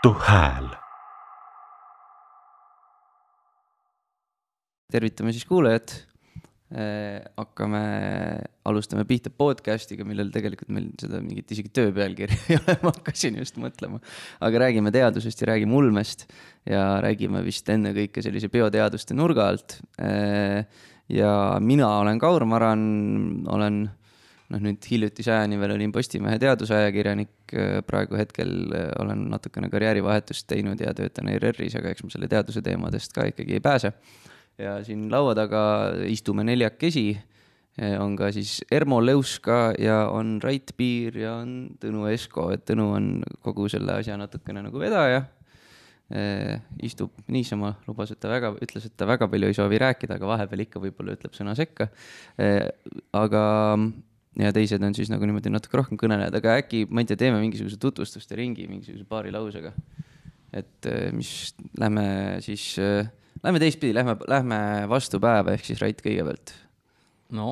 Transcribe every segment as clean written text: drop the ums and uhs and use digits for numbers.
Tartu Hääl. Tervitame siis kuulajad. Alustame pihta podcastiga, millel tegelikult meil seda mingit isegi tööpealkirja ei ole, ma hakkasin just mõtlema. Aga räägime teadusest ja räägime ulmest ja räägime vist enne kõike sellise bioteaduste nurga alt. Ja mina olen Kaur Maran, olen nüüd hiljutise ajani veel olin Postimehe teadusajakirjanik, praegu hetkel olen natukene karjäärivahetust teinud ja töötan ERR-is, aga eks ma selle teaduse teemadest ka ikkagi ei pääse. Ja siin laua taga istume neljakesi, on ka siis Ermo Leuska ja on Rait Piir ja on Tõnu Esko, et Tõnu on kogu selle asja natukene nagu vedaja. Istub niisama, ütles, et ta väga palju ei soovi rääkida, aga vahepeal ikka võib-olla ütleb sõna sekka. Aga ja teised on siis nagu niimoodi natuke rohkem kõnelejad, aga äkki, ma ei tea, teeme mingisuguse tutvustuste ringi, mingisuguse paari lausega. Et mis lähme teistpidi, lähme vastu päeva, ehk siis Rait kõigepealt. No,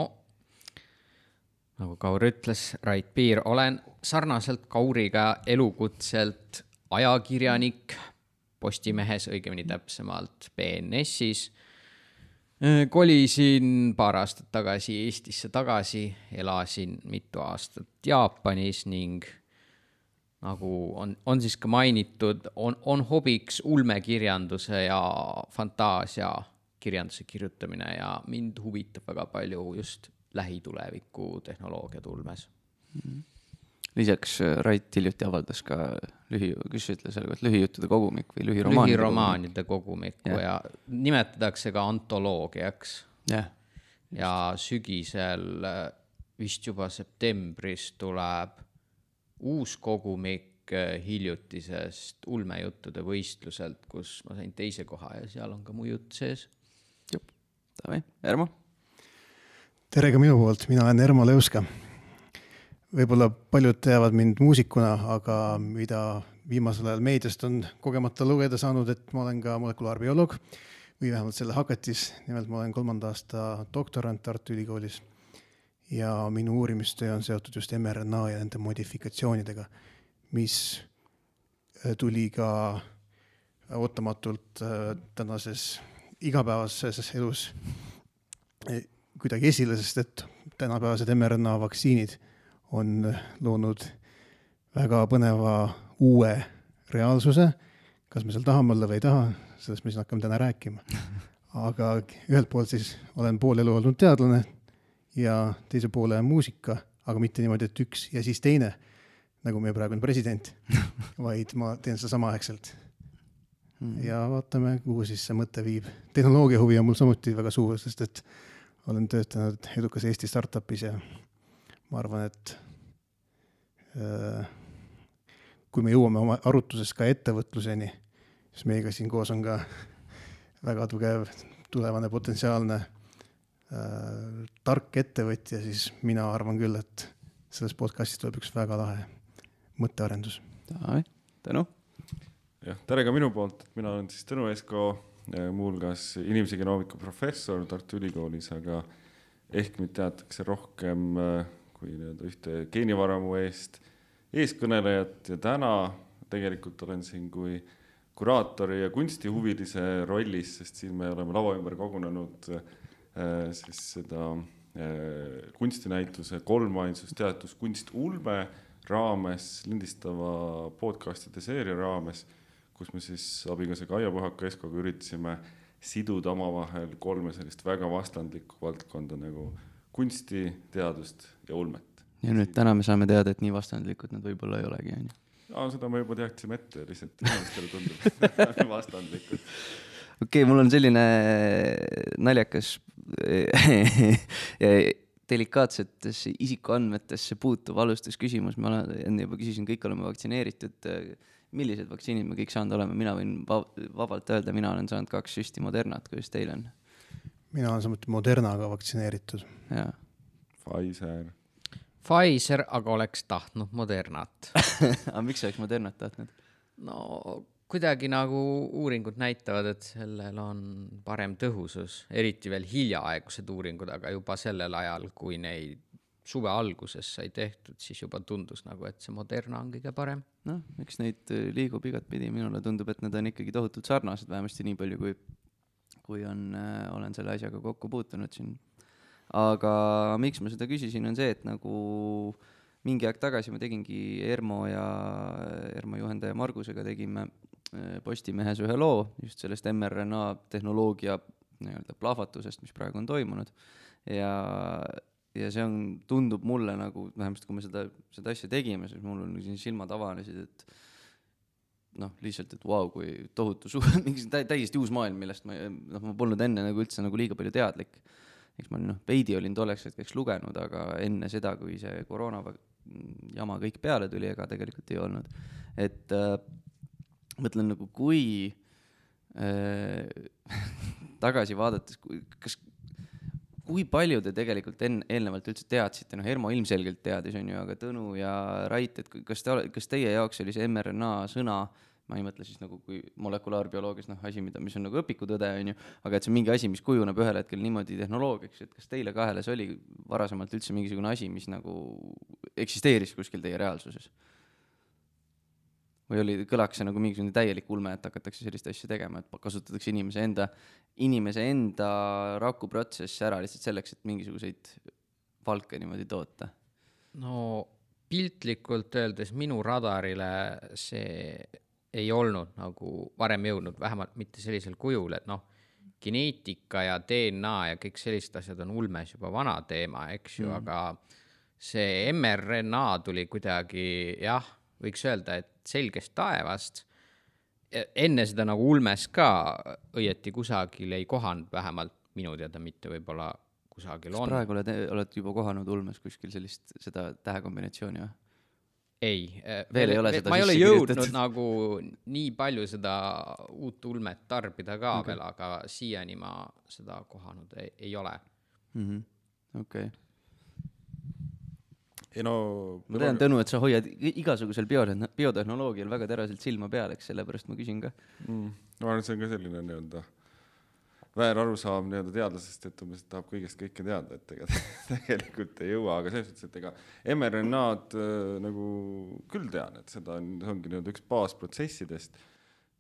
nagu Kaur ütles, Rait Piir, olen sarnaselt Kauriga elukutselt ajakirjanik Postimehes, õigemini täpsemalt BNS-is. Kolisin paar aastat tagasi Eestisse tagasi, elasin mitu aastat Jaapanis ning nagu on siis ka mainitud, on hobiks ulmekirjanduse ja fantaasia kirjanduse kirjutamine ja mind huvitab väga palju just lähituleviku tehnoloogiad ulmes. Lisaks Rait hiljuti avaldas ka lühijuttude kogumik või lühiromaanide kogumikku ja nimetatakse ka antoloogiaks. Ja sügisel vist juba septembris tuleb uus kogumik hiljutisest ulmejuttude võistluselt, kus ma sain teise koha ja seal on ka mu jutt sees. Davai, Ermo. Tere ka minu poolt, mina olen Ermo Leuska. Võib-olla paljud teavad mind muusikuna, aga mida viimasel ajal meediast on kogemata lugeda saanud, et ma olen ka molekulaarbioloog või vähemalt selle hakatis. Nimelt ma olen 3. aasta doktorant Tartu Ülikoolis ja minu uurimistöö on seotud just mRNA ja nende modifikatsioonidega, mis tuli ka ootamatult tänases igapäevases elus kuidagi esile, sest et tänapäevased mRNA vaktsiinid on loonud väga põneva uue reaalsuse. Kas me seal tahame olla või ei taha, sellest me siis hakkame täna rääkima. Aga ühelt poolt siis olen pool elu olnud teadlane ja teise poole muusika, aga mitte niimoodi, et üks ja siis teine, nagu meie praegu on president, vaid ma teen seda samaaegselt. Ja vaatame, kuhu siis see mõte viib. Tehnoloogia huvi on mul samuti väga suur, sest et olen töötanud edukas Eesti startupis ja ma arvan, et kui me jõuame oma arutuses ka ettevõtluseni, siis meiega siin koos on ka väga tugev tulevane potentsiaalne tark ettevõtja, siis mina arvan küll, et selles podcastis tuleb üks väga lahe mõttearendus. Tõnu? Tere ka minu poolt, et mina olen siis Tõnu Esko, muulgas inimese genoomika professor Tartu Ülikoolis, aga ehk mind teatakse rohkem kui ühte geenivaramu eeskõnelejat ja täna tegelikult olen siin kui kuraatori ja kunstihuvilise rollis, sest siin me oleme lava ümber kogunenud siis seda kunstinäituse kolmainsust kunst ulme raames, lindistava podcastide seeria raames, kus me siis abiga Kaia Puhaka Eskoga üritasime siduda omavahel kolme sellist väga vastandlikku valdkonda nagu kunsti, teadust ja ulmet. Ja nüüd täna me saame teada, et nii vastandlikud nad võib-olla ei olegi. Seda me juba teaksime ette, lihtsalt inimestele tundub vastandlikud. Okei, mul on selline naljakas delikaatsetesse isikuandmetesse puutuv alustusküsimus. Ma enne juba küsisin, kõik oleme vaktsineeritud. Millised vaktsiinid me kõik saanud oleme? Mina võin vabalt öelda, mina olen saanud 2 süsti Modernat, kuidas teil on? Mina olen samuti Modernaga vaktsineeritud. Pfizer, aga oleks tahtnud Modernat. Aga miks oleks Modernat tahtnud? No kuidagi nagu uuringud näitavad, et sellel on parem tõhusus, eriti veel hiljaaegused uuringud, aga juba sellel ajal, kui neid suve alguses sai tehtud, siis juba tundus nagu, et see Moderna on kõige parem. Noh, eks neid liigub igat pidi, minule tundub, et need on ikkagi tohutult sarnased, vähemasti nii palju, kui olen selle asjaga kokku puutunud siin. Aga miks ma seda küsisin, on see, et nagu mingi aeg tagasi ma tegingi Ermo juhendaja Margusega tegime Postimehes ühe loo just sellest mRNA tehnoloogia nii-öelda plahvatusest, mis praegu on toimunud. Ja see tundub mulle nagu, vähemasti kui me seda asja tegime, siis mul on siin silmad avanesid, et noh, lihtsalt, et vau, kui tohutu mingi täiesti uus maailm, millest ma polnud enne nagu üldse nagu liiga palju teadlik. Eks ma veidi olin tolleks hetkeks lugenud, aga enne seda, kui see koroona jama kõik peale tuli, ega tegelikult ei olnud. Et mõtlen nagu, kui tagasi vaadates, kui palju te tegelikult eelnevalt üldse teadsite, Ermo ilmselgelt teadis, on ju, aga Tõnu ja Rait, et kas teie jaoks oli see mRNA sõna, ma ei mõtle siis nagu kui molekulaarbioloogias asi, mis on nagu õpikutõde, on ju, aga et see on mingi asi, mis kujuneb ühel hetkel niimoodi tehnoloogiaks, et kas teile kahele see oli varasemalt üldse mingisugune asi, mis nagu eksisteeris kuskil teie reaalsuses? Või kõlaks see nagu mingisugune täielik ulme, et hakatakse sellist asja tegema, et kasutatakse inimese enda rakuprotsess ära lihtsalt selleks, et mingisuguseid valke niimoodi toota? No piltlikult öeldes minu radarile see ei olnud nagu varem jõudnud, vähemalt mitte sellisel kujul, et geneetika ja DNA ja kõik sellised asjad on ulmes juba vana teema, eks ju, aga see mRNA tuli kuidagi, võiks öelda, et selgest taevast. Enne seda nagu ulmes ka õieti kusagil ei kohanud, vähemalt minu teada mitte võib-olla kusagil on. Kas praegu oled juba kohanud ulmes kuskil seda tähekombinatsiooni või? Ei, veel ei ole seda ma ei ole jõudnud nagu nii palju seda uut ulmet tarbida ka veel, aga siiani ma seda kohanud ei ole. Okei. No, ma tean, Tõnu, et sa hoiad igasugusel biotehnoloogial väga teraselt silma peal, eks sellepärast ma küsin ka. No see on ka selline nii-öelda väär arusaam nii-öelda teadlasest, et umbes tahab kõigest kõike teada, et tegelikult ei jõua, aga selles suhtes, et ega mRNA-d nagu küll tean, et seda ongi nii-öelda üks baasprotsessidest.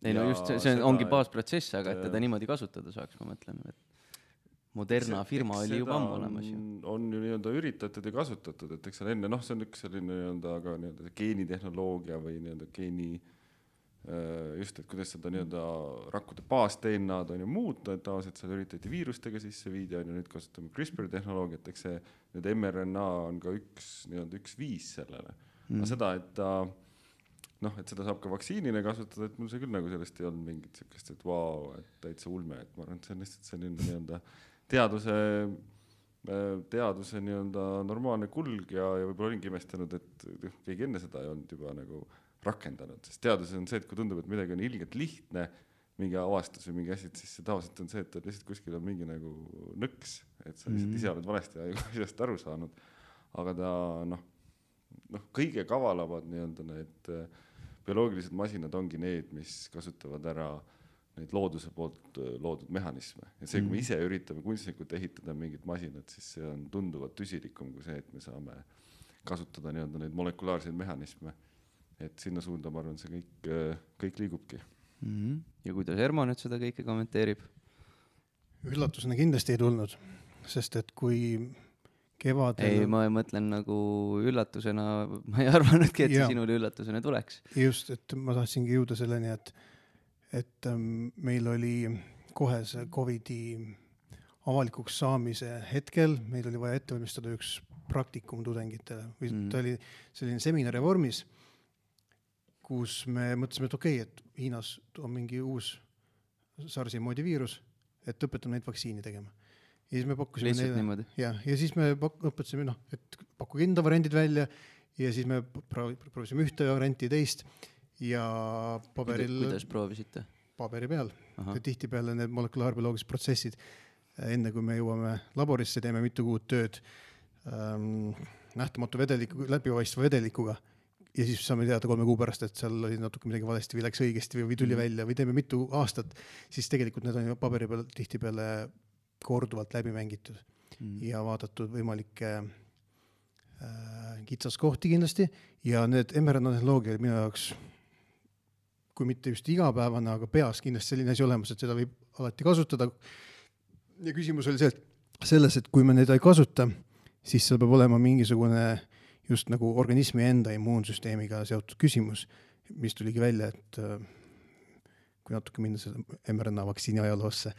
Ei, no just see ongi baasprotsess, aga et teda niimoodi kasutada saaks, ma mõtlen, et Moderna firma oli juba ammu olemas. On ju nii-öelda üritatud ja kasutatud, et eks seal enne, see on üks selline nii-öelda aga nii-öelda geenitehnoloogia või nii-öelda just, et kuidas seda nii-öelda rakkude baas-DNA-d on ju muuta, et tavaliselt seal üritati viirustega sisse viidi, on ju nüüd kasutame CRISPR-tehnoloogiat, eks see nüüd mRNA on ka üks viis sellele. Aga seda, et seda saab ka vaktsiinile kasutada, et mul see küll nagu sellest ei olnud mingit sellist, et vau, et täitsa ulme, et ma arvan, et see on lihtsalt selline nii-öelda teaduse nii-öelda normaalne kulg ja võib-olla olingi imestanud, et keegi enne seda ei olnud juba nagu rakendanud, sest teaduses on see, et kui tundub, et midagi on ilgelt lihtne, mingi avastus või mingi asi, siis see tavaliselt on see, et lihtsalt kuskil on mingi nagu nõks, et sa lihtsalt ise oled valesti asjast aru saanud, aga ta kõige kavalamad nii-öelda need bioloogilised masinad ongi need, mis kasutavad ära neid looduse poolt loodud mehhanisme ja see, kui me ise üritame kunstnikult ehitada mingit masinat, siis see on tunduvalt tüsilikum kui see, et me saame kasutada nii-öelda neid molekulaarseid mehhanisme. Et sinna suunda, ma arvan, see kõik liigubki. Ja kuidas Ermo nüüd seda kõike kommenteerib? Üllatusena kindlasti ei tulnud, sest et kui kevadel... Ei, ma mõtlen nagu üllatusena, ma ei arvanudki, et see sinule üllatusena tuleks. Just, et ma tahtsingi jõuda selleni, et meil oli kohe see COVID-i avalikuks saamise hetkel, meil oli vaja ette valmistada üks praktikum tudengitele. Ta oli selline seminari vormis, kus me mõtlesime, et okei, et Hiinas on mingi uus SARS-i moodi viirus, et õpetame neid vaktsiini tegema. Ja siis me pakkusime lihtsalt niimoodi? Ja siis me õpetasime, et pakkuge enda variandid välja ja siis me proovisime ühte varianti teist ja paberil... Kuidas proovisite? Paberi peal. Tihti peale need molekulaarbioloogilised protsessid, enne kui me jõuame laborisse, teeme mitu kuud tööd nähtamatu läbipaistva vedelikuga. Ja siis saame teada 3 kuu pärast, et seal oli natuke midagi valesti või läks õigesti või tuli välja või teeme mitu aastat, siis tegelikult need on ju paberi peal tihti peale korduvalt läbi mängitud ja vaadatud võimalikke kitsaskohti kindlasti ja need mRNA tehnoloogia minu jaoks, kui mitte just igapäevane, aga peas kindlasti selline asi olemas, et seda võib alati kasutada. Ja küsimus oli selles, et kui me neid ei kasuta, siis seal peab olema mingisugune just nagu organismi enda immuunsüsteemiga seotud küsimus, mis tuligi välja, et kui natuke minna selle mRNA vaktsiini ajaloosse,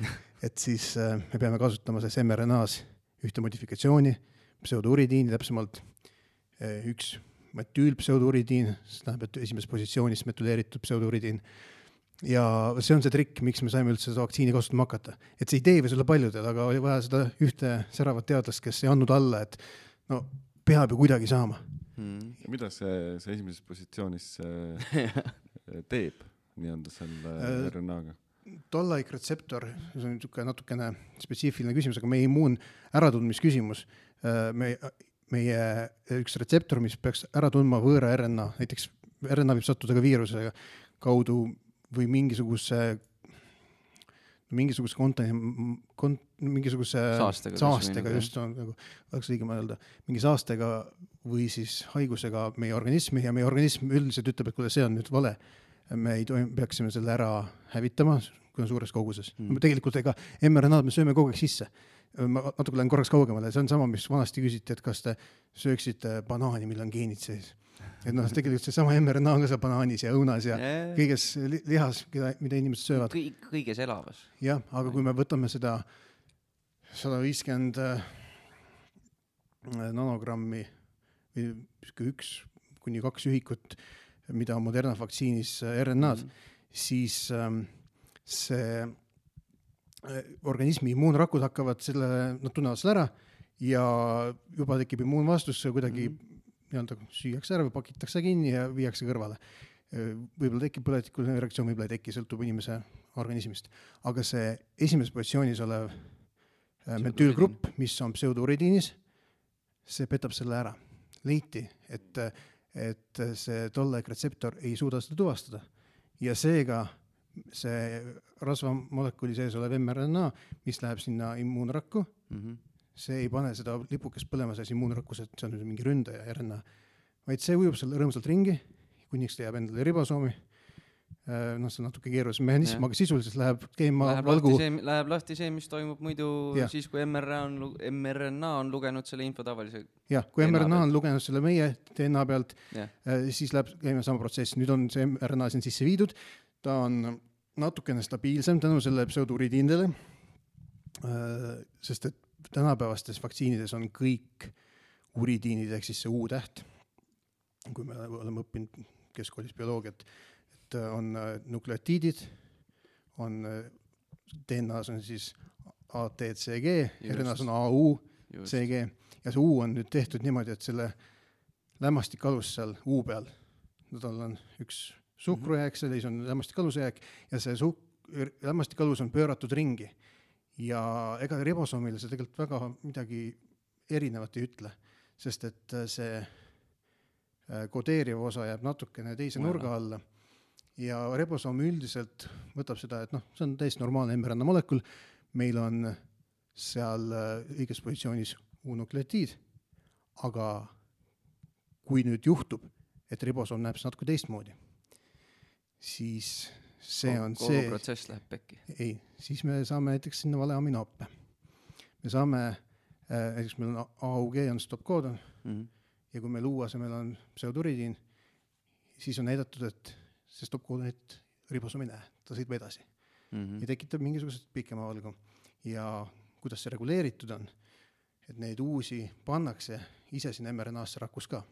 et siis me peame kasutama selles mRNA-s ühte modifikatsiooni, pseudouridini, täpsemalt üks metüülpseuduridiin, see tähendab, et esimeses positsioonis metyleeritud pseuduridiin. Ja see on see trikk, miks me saime üldse seda vaktsiini kasutama hakata. Et see idee võis olla paljudel, aga oli vaja seda ühte säravat teadlast, kes ei andnud alla, et no peab ju kuidagi saama. Ja mida see esimeses positsioonis teeb nii-anda selle RNA-ga? Toll-like retseptor, see on natukene spetsiifiline küsimus, aga meie immuun äratundmisküsimus, meie üks retseptor, mis peaks ära tundma võõra RNA, näiteks RNA võib sattuda ka viiruse kaudu või mingisuguse saastega just on, nagu oleks õige mõelda, mingi saastega või siis haigusega meie organismi ja meie organism üldiselt ütleb, et kui see on nüüd vale, me peaksime selle ära hävitama, kui on suures koguses. Tegelikult ega mRNA-d me sööme kogu aeg sisse. Ma natuke lähen korraks kaugemale, see on sama, mis vanasti küsiti, et kas te sööksite banaani, mille on geenid sees. Et noh, tegelikult see sama mRNA on ka seal banaanis ja õunas ja kõiges lihas, mida inimesed söövad. Kõiges elavas. Jah, aga kui me võtame seda 150 nanogrammi või 1-2 ühikut, mida on Moderna vaktsiinis RNA-d, siis see organismi immuunrakud hakkavad selle, nad tunnevad selle ära ja juba tekib immuunvastus, kuidagi süüakse ära või pakitakse kinni ja viiakse kõrvale. Võib-olla tekib põletikuline reaktsioon, võib-olla ei teki, sõltub inimese organismist. Aga see esimeses positsioonis olev metüülgrupp, mis on pseuduridiinis, see petab selle ära. Leiti, et see toll-like retseptor ei suuda seda tuvastada. Ja seega see rasvamolekuli sees olev mRNA, mis läheb sinna immuunrakku, see ei pane seda lipukest põlema sees immuunrakkus, et see on mingi ründaja RNA, vaid see ujub selle rõõmsalt ringi, kuniks ta jääb endale ribosoomi. No see on natuke keerulisem mehhanism, aga sisuliselt läheb keema valgu. Läheb lahti see, mis toimub muidu siis, kui mRNA on lugenud selle info tavalise. Jah, kui mRNA on lugenud selle meie DNA pealt, siis läheb käima sama protsess. Nüüd on see mRNA siin sisse viidud, ta on natukene stabiilsem tänu selle pseuduridiindele, sest et tänapäevastes vaktsiinides on kõik uridiinid, ehk siis see U-täht, kui me oleme õppinud keskkoolis bioloogiat, et on nukleotiidid, on DNA-s on siis ATCG, RNA-s on AUCG ja see U on nüüd tehtud niimoodi, et selle lämmastikalus seal U peal, tal on üks suhkrujääk, selles on lämmastikalusjääk ja see lämmastikalus on pööratud ringi ja ega ribosoomile see tegelikult väga midagi erinevat ei ütle, sest et see kodeeriv osa jääb natukene teise nurga alla ja ribosoom üldiselt võtab seda, et see on täiesti normaalne mRNA molekul, meil on seal õiges positsioonis U-nukleotiid, aga kui nüüd juhtub, et ribosoom näeb natuke teistmoodi, siis see on see... Kogu protsess läheb pekki. Ei, siis me saame näiteks sinna vale aminoppe. Me saame, näiteks meil on AUG on stop-koodon ja kui meil U-asemel on pseuduridiin, siis on näidatud, et see stop-koodonit ribosoom ei näe, ta sõidab edasi ja tekitab mingisugused pikema valgu. Ja kuidas see reguleeritud on, et neid uusi pannakse ise siin mRNA-sse rakkus ka.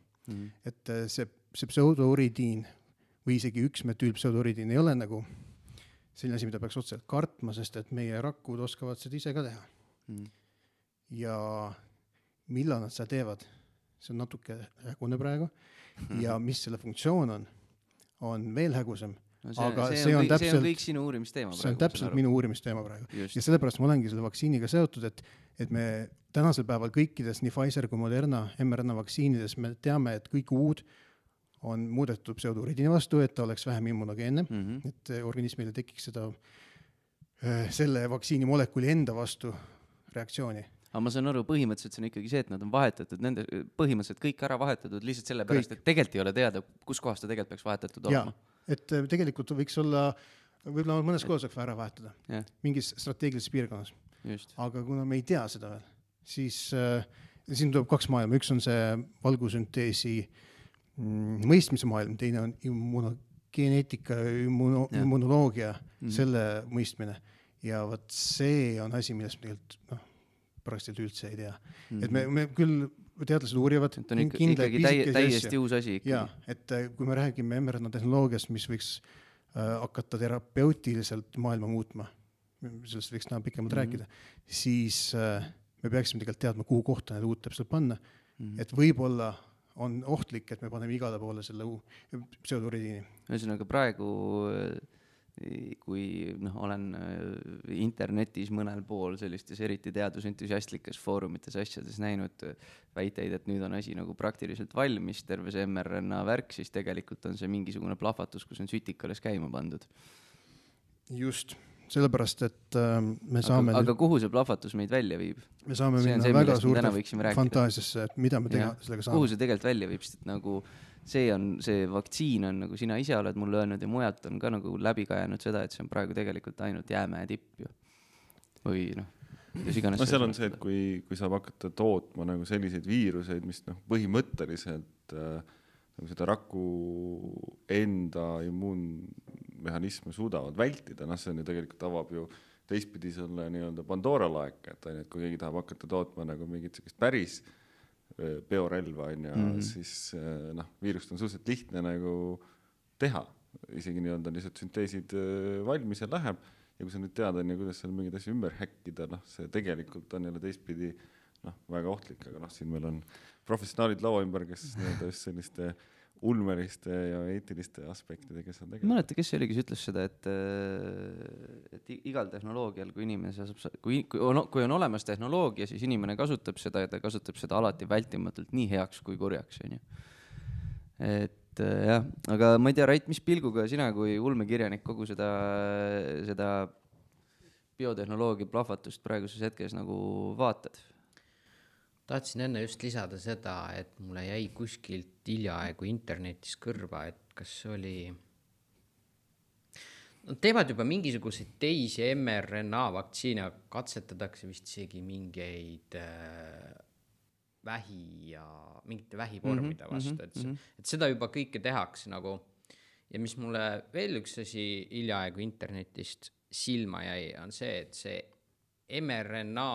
Et see pseuduridiin või isegi üks metüülpseuduridiin ei ole nagu selline asi, mida peaks otseselt kartma, sest et meie rakkud oskavad seda ise ka teha. Ja millal nad seda teevad, see on natuke hägune praegu ja mis selle funktsioon on veel hägusem. Aga see on kõik sinu uurimisteema praegu. See on täpselt minu uurimisteema praegu. Ja sellepärast ma olengi selle vaktsiiniga seotud, et me tänasel päeval kõikides, nii Pfizer kui Moderna mRNA vaktsiinides me teame, et kõik uud on muudetud pseuduridiini vastu, et ta oleks vähem immunogeenne, et organismile tekiks seda selle vaktsiini molekuli enda vastu reaktsiooni. aga ma saan aru, põhimõtteliselt see on ikkagi see, et nad on vahetatud, nende põhimõtteliselt kõik ära vahetatud lihtsalt sellepärast, et tegelikult ei ole teada, kus kohas ta tegelikult peaks vahetatud jaa, olema. et tegelikult võiks olla, võib-olla mõnes kohas võiks ära vahetada, mingis strateegilises piirkonnas. Just. Aga kuna me ei tea seda veel, siis siin tuleb kaks maailma, üks on see valgusünteesi mõistmise maailm, teine on geneetika, immunoloogia, selle mõistmine. Ja võt see on asi, millest me tegelikult praktiliselt üldse ei tea. Et me küll teadlased uurivad. Et on ikkagi täiesti uus asi. Jaa, et kui me räägime mRNA tehnoloogiast, mis võiks hakata terapeutiliselt maailma muutma, sellest võiks pikemalt rääkida, siis me peaksime tegelikult teadma, kuhu kohta need uut täpselt panna. Et võib-olla on ohtlik, et me paneme igale poole selle pseudoridiini. Ühesõnaga praegu kui olen internetis mõnel pool sellistes eriti teadusentusiastlikes foorumites asjades näinud väiteid, et nüüd on asi nagu praktiliselt valmis, terve see mRNA värk, siis tegelikult on see mingisugune plahvatus, kus on sütikales käima pandud. Just, sellepärast, et me saame... Aga kuhu see plahvatus meid välja viib? Me saame minna väga suurte fantaasiasse, et mida me sellega saame. Kuhu see tegelikult välja viib, sest nagu see vaktsiin on, nagu sina ise oled mulle öelnud ja mujalt on ka nagu läbi kajanud seda, et see on praegu tegelikult ainult jäämäe tipp ju. Või kuidas iganes. Seal on see, et kui saab hakata tootma nagu selliseid viiruseid, mis põhimõtteliselt nagu seda raku enda immuunmehhanisme suudavad vältida, see on ju tegelikult avab ju teistpidi selle nii-öelda Pandora laeka, et kui keegi tahab hakata tootma nagu mingit sellist päris biorelva on ja siis viirust on suhteliselt lihtne nagu teha. Isegi nii-öelda lihtsalt sünteesid valmis ja läheb ja kui sa nüüd tead, kuidas seal mingid asja ümber häkkida, see tegelikult on jälle teistpidi väga ohtlik, aga siin meil on professionaalid laua ümber, kes nii-öelda just selliste ulmeriste ja eetiliste aspektidega, kes on tegelikult. Mäleta, kes oli, kes ütles seda, et igal tehnoloogial, kui inimene saab, kui on olemas tehnoloogia, siis inimene kasutab seda ja ta kasutab seda alati vältimatult nii heaks kui kurjaks. Et jah, aga ma ei tea, Rait, mis pilguga sina kui ulmekirjanik kogu seda biotehnoloogia plahvatust praeguses hetkes nagu vaatad? Tahtsin enne just lisada seda, et mulle jäi kuskilt hiljaaegu internetis kõrva, et kas oli... teevad juba mingisuguseid teisi mRNA vaktsiine, katsetatakse vist isegi mingeid mingite vähivormide vastu, et seda juba kõike tehakse nagu. Ja mis mulle veel üks asi hiljaaegu internetist silma jäi, on see, et see mRNA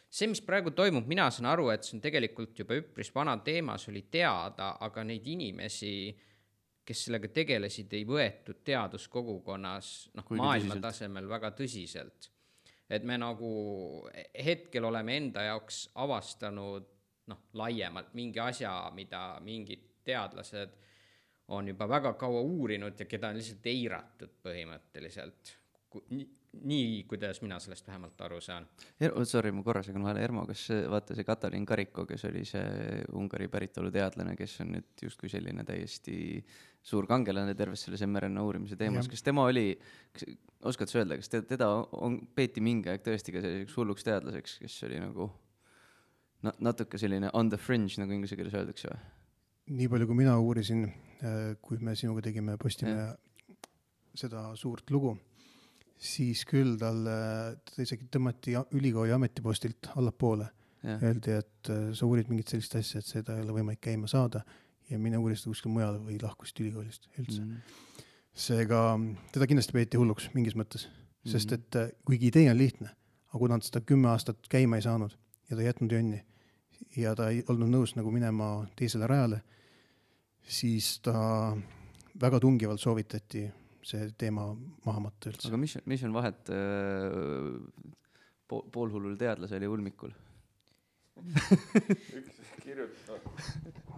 see, mis praegu toimub, mina saan aru, et see on tegelikult juba üpris vana teemas oli teada, aga neid inimesi, kes sellega tegelesid, ei võetud teaduskogukonnas maailma tasemel väga tõsiselt. Et me nagu hetkel oleme enda jaoks avastanud laiemalt mingi asja, mida mingid teadlased on juba väga kaua uurinud ja keda on lihtsalt eiratud põhimõtteliselt. Nii, kuidas mina sellest vähemalt aru saan. Sorry, ma korra segan vahele. Ermo, kas vaata see Katalin Kariko, kes oli see Ungari päritolu teadlane, kes on nüüd justkui selline täiesti suur kangelane terves selles mRNA uurimise teemas. Kas tema oli, oskad sa öelda, kas teda peeti mingi aeg tõesti ka selliseks hulluks teadlaseks, kes oli nagu natuke selline on the fringe, nagu inglise keeles öeldakse või? Nii palju, kui mina uurisin, kui me sinuga tegime Postimehe seda suurt lugu, siis küll ta isegi tõmmati ülikooli ametipostilt allapoole. Öeldi, et sa uurid mingit sellist asja, et seda ei ole võimalik käima saada ja mine uurist kuskil mujal või lahkusid ülikoolist üldse. Seega teda kindlasti peeti hulluks mingis mõttes, sest et kuigi idee on lihtne, aga kuna ta 10 aastat käima ei saanud ja ta jätnud jonni ja ta ei olnud nõus nagu minema teisele rajale, siis ta väga tungivalt soovitati see teema maha matta üldse. Aga mis on vahet poolhullul teadlase oli ulmikul?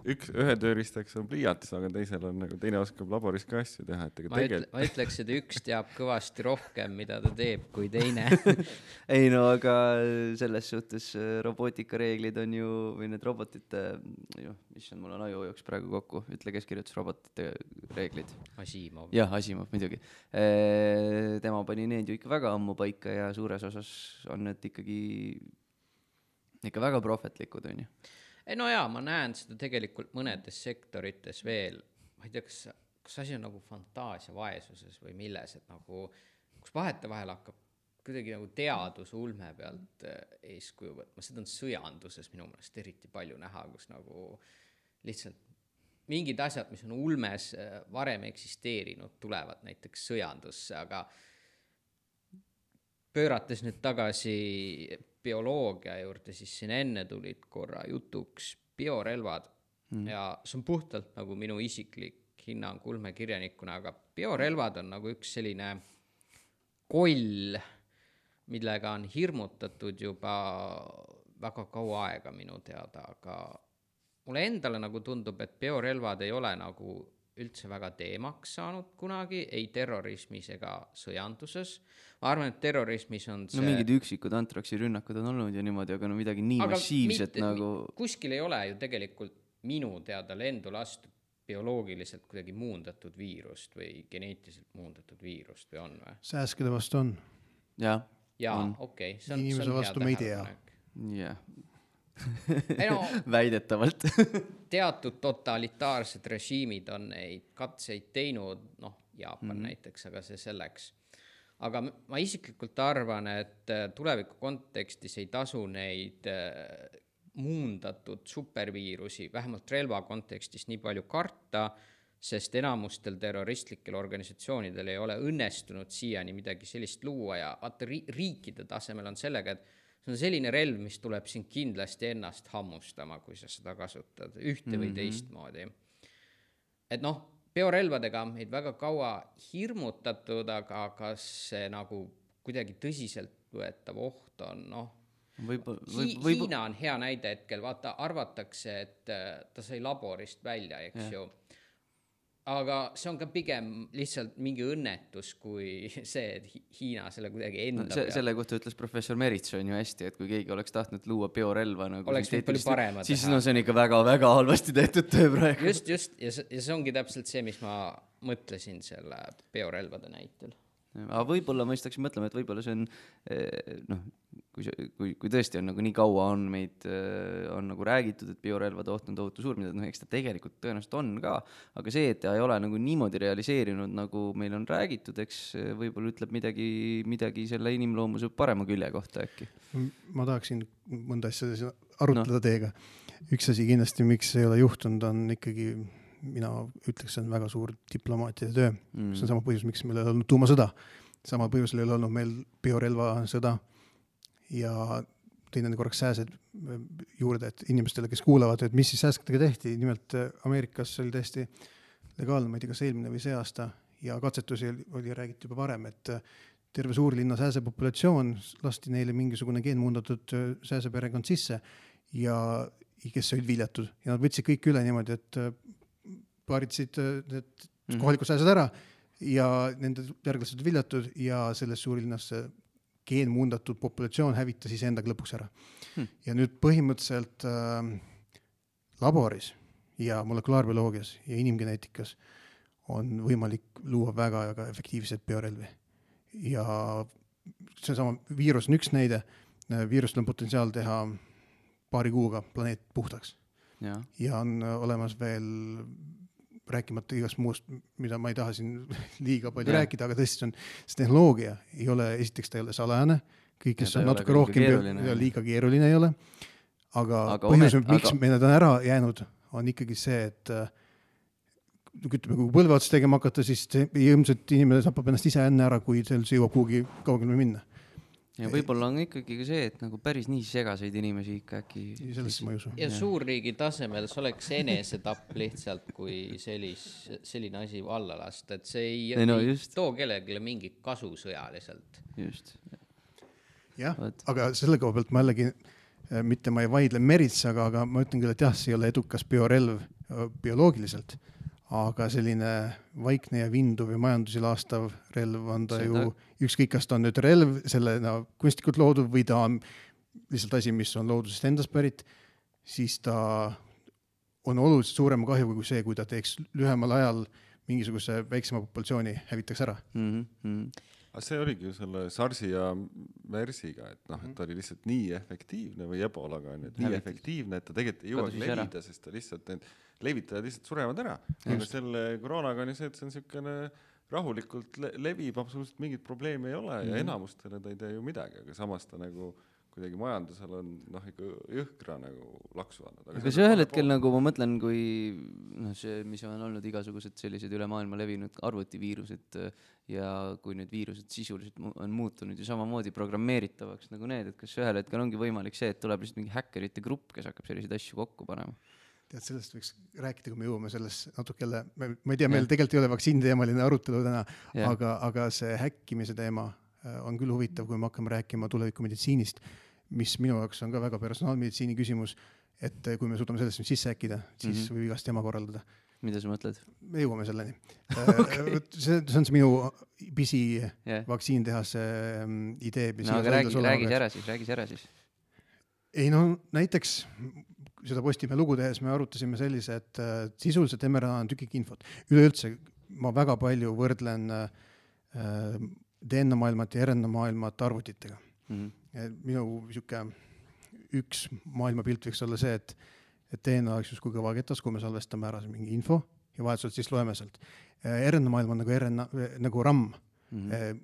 Ühe tööriistaks on pliiats, aga teisel on nagu teine oskab laboris ka asju teha. Ma ütleks, et üks teab kõvasti rohkem, mida ta teeb kui teine. Ei no, aga selles suhtes robootikareeglid on ju, või need robotite, mis on, mul on aju jooks praegu kokku, ütle, kes kirjutas robotite reeglid. Asimov. Jah, Asimov, muidugi. Tema pani need ju ikka väga ammu paika ja suures osas on need ikkagi ikka väga prohvetlikud, on ju. No jaa, ma näen seda tegelikult mõnedes sektorites veel, ma ei tea, kas asi on nagu fantaasia vaesuses või milles, et nagu, kus vahetevahel hakkab kuidagi nagu teaduse ulme pealt eeskuju võtma, seda on sõjanduses minu meelest eriti palju näha, kus nagu lihtsalt mingid asjad, mis on ulmes varem eksisteerinud, tulevad näiteks sõjandusse, aga pöörates nüüd tagasi bioloogia juurde, siis siin enne tulid korra jutuks biorelvad ja see on puhtalt nagu minu isiklik hinnang ulmekirjanikuna, aga biorelvad on nagu üks selline koll, millega on hirmutatud juba väga kaua aega minu teada, aga mulle endale nagu tundub, et biorelvad ei ole nagu üldse väga teemaks saanud kunagi, ei terrorismis ega sõjanduses. Ma arvan, et terrorismis on see... No mingid üksikud antraksi rünnakud on olnud ja niimoodi, aga no midagi nii aga massiivset nagu... Kuskil ei ole ju tegelikult minu teada lendu lastud bioloogiliselt kuidagi muundatud viirust või geneetiliselt muundatud viirust või on või? Sääskede vastu on. Jaa, okei. Inimese vastu me ei tea. Jah. No, väidetavalt. Teatud totalitaarsed režiimid on neid katseid teinud, Jaapan näiteks, aga see selleks. Aga ma isiklikult arvan, et tuleviku kontekstis ei tasu neid muundatud superviirusi, vähemalt relva kontekstis nii palju karta, sest enamustel terroristlikel organisatsioonidel ei ole õnnestunud siiani midagi sellist luua ja vaata riikide tasemel on sellega, et see on selline relv, mis tuleb siin kindlasti ennast hammustama, kui sa seda kasutad ühte või teistmoodi. Et biorelvadega on meid väga kaua hirmutatud, aga kas see nagu kuidagi tõsiselt võetav oht on, Hiina on hea näide hetkel, vaata, arvatakse, et ta sai laborist välja, eks ju. Aga see on ka pigem lihtsalt mingi õnnetus kui see, et Hiina selle kuidagi enda peal. Selle kohta ütles professor Merits on ju hästi, et kui keegi oleks tahtnud luua biorelva nagu oleks palju parema siis teha. See on ikka väga-väga halvasti tehtud töö praegu. Just, ja see ongi täpselt see, mis ma mõtlesin selle biorelvade näitel. Aga võib-olla ma istaks mõtlema, et võib-olla see on, kui tõesti on nagu nii kaua on meid on nagu räägitud, et biorelvade oht on tohutu suur, mida eks ta tegelikult tõenäoliselt on ka, aga see, et ta ei ole nagu niimoodi realiseerinud, nagu meil on räägitud, eks võib-olla ütleb midagi selle inimloomuse parema külje kohta äkki. Ma tahaksin mõnda asja arutleda teiega. Üks asi kindlasti, miks ei ole juhtunud, on ikkagi mina ütleks, see on väga suur diplomaatide töö. See on sama põhjus, miks meil ei olnud tuumasõda. Sama põhjusel ei olnud meil biorelva sõda ja teine korraks sääsed juurde, et inimestele, kes kuulavad, et mis siis sääskadega tehti. Nimelt Ameerikas oli tõesti legaalne, ma ei tea, kas eelmine või see aasta ja katsetusi oli räägitud juba varem, et terve suurlinna sääsepopulatsioon lasti neile mingisugune geenmuundatud sääseperekond sisse ja kes olid viljatud ja nad võtsid kõik üle niimoodi, et paaritsid kohalikud sääsed ära ja nende järglased viljatud ja selles suurlinnas geenmuundatud populatsioon hävitas ise endaga lõpuks ära. Ja nüüd põhimõtteliselt laboris ja molekulaarbioloogias ja inimgeneetikas on võimalik luua väga efektiivseid biorelvi. Ja see sama viirus on üks näide. Viirustel on potentsiaal teha paari kuuga planeet puhtaks. Ja on olemas veel rääkimata igast muust, mida ma ei taha siin liiga palju rääkida, aga tõesti see tehnoloogia ei ole, esiteks ta ei ole salajane, kõik, kes on natuke rohkem liiga keeruline ei ole, aga põhjus, miks me need on ära jäänud, on ikkagi see, et ütleme, kui põlve ots tegema hakata, siis ilmselt inimene tapab ennast ise enne ära, kui see jõuab kuhugi kaugele minna. Ja võib-olla on ikkagi ka see, et nagu päris nii segaseid inimesi ikka äkki... Sellesse ma ei usu. Ja suurriigi tasemel see oleks enesetapp lihtsalt, kui selline asi valla lasta, et see ei too kellelegi mingit kasu sõjaliselt. Just. Jah, aga selle koha pealt ma jällegi, mitte ma ei vaidle Meritsaga, aga ma ütlen küll, et jah, see ei ole edukas biorelv bioloogiliselt, aga selline vaikne ja vinduv ja majandusi laastav relv on ta ju, ükskõik kas ta on nüüd relv, selle kunstlikult loodud või ta on lihtsalt asi, mis on loodusest endast pärit, siis ta on oluliselt suurema kahjuga kui see, kui ta teeks lühemal ajal mingisuguse väiksema populatsiooni hävitaks ära. Aga see oligi ju selle SARS-i ja MERS-iga, et noh, et ta oli lihtsalt nii efektiivne või ebolaga on, et nii efektiivne, et ta tegelikult ei jõuagi levida, sest ta lihtsalt, need levitajad lihtsalt surevad ära. Aga selle koroonaga on ju see, et see on niisugune rahulikult levib, absoluutselt mingit probleemi ei ole ja enamustele ta ei tee ju midagi, aga samas ta nagu kuidagi majandusel on ikka jõhkra nagu laksu andnud. Aga see ühel hetkel nagu ma mõtlen, kui see, mis on olnud igasugused sellised üle maailma levinud arvutiviirused ja kui need viirused sisuliselt on muutunud ju samamoodi programmeeritavaks nagu need, et kas ühel hetkel ongi võimalik see, et tuleb lihtsalt mingi häkkerite grupp, kes hakkab selliseid asju kokku panema? Tead, sellest võiks rääkida, kui me jõuame sellest natuke jälle, ma ei tea, meil tegelikult ei ole vaktsiiniteemaline arutelu täna, aga see häkkimise teema on küll huvitav, kui me hakkame rääkima tulevikumeditsiinist, mis minu jaoks on ka väga personaalmeditsiini küsimus, et kui me suudame sellest sisse häkkida, siis võib igast teema korraldada. Mida sa mõtled? Me jõuame selleni. See on see minu pisi vaktsiintehase idee. No aga räägis ära siis. Ei no näiteks seda Postimehe lugu tehes me arutasime sellise, et sisuliselt mRNA on tükik infot. Üleüldse ma väga palju võrdlen DNA maailmat ja RNA maailmat arvutitega. Minu üks maailmapilt võiks olla see, et DNA oleks just kui kõvaketas, kui me salvestame ära mingi info ja vahetuselt siis loeme sealt. RNA maailm on nagu RAM,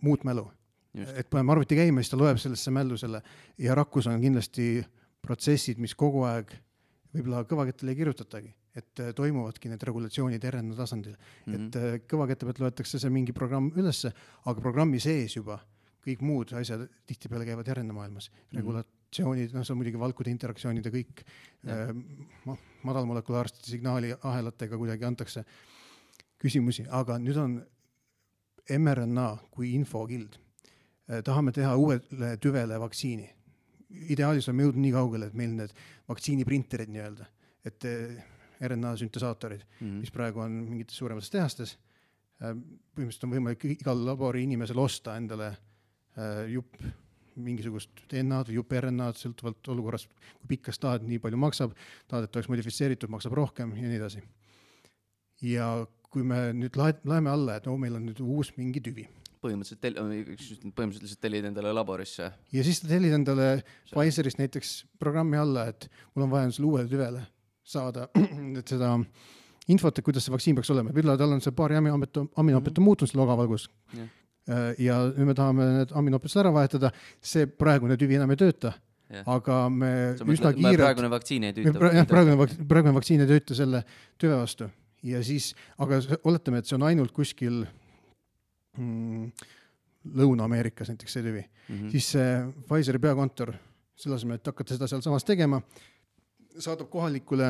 muut mälu. Et paneme arvuti käima, siis ta loeb sellesse mällu selle ja rakkus on kindlasti protsessid, mis kogu aeg võib-olla kõvakettale ei kirjutatagi, et toimuvadki need regulatsioonid RNA tasandil. Et kõvakette pealt loetakse see mingi programm ülesse, aga programmi sees juba kõik muud asjad tihtipeale käivad RNA maailmas. Regulatsioonid, see on muidugi valkude interaktsioonid ja kõik madalmolekulaarsete signaali ahelatega kuidagi antakse küsimusi, aga nüüd on mRNA kui infokild. Tahame teha uuele tüvele vaktsiini. Ideaalis on jõudnud nii kaugele, et meil need vaktsiiniprinterid nii-öelda, et RNA süntesaatorid, mis praegu on mingites suuremates tehastes. Põhimõtteliselt on võimalik igal labori inimesel osta endale jupp mingisugust DNA-d või jupp RNA-d, sõltuvalt olukorrast, kui pikkas tahad, nii palju maksab, tahad, et oleks modifitseeritud, maksab rohkem ja nii edasi. Ja kui me nüüd laeme alla, et meil on nüüd uus mingi tüvi. Põhimõtteliselt tellid endale laborisse. Ja siis ta tellid endale Pfizerist näiteks programmi alla, et mul on vaja selle uuele tüvele saada et seda infot, kuidas see vaktsiin peaks olema. Võib-olla tal on see paari aminoopet muutunud selle ogavalgus. Ja nüüd me tahame need aminoopetsid ära vahetada. See praegune tüvi enam ei tööta, aga me üsna kiirelt... Praegune vaktsiin ei tööta. Praegune vaktsiin ei tööta selle tüve vastu. Ja siis, aga oletame, et see on ainult kuskil Lõuna-Ameerikas näiteks see tüvi. Siis see Pfizeri peakontor, selle asemel, et hakata seda seal samas tegema, saadab kohalikule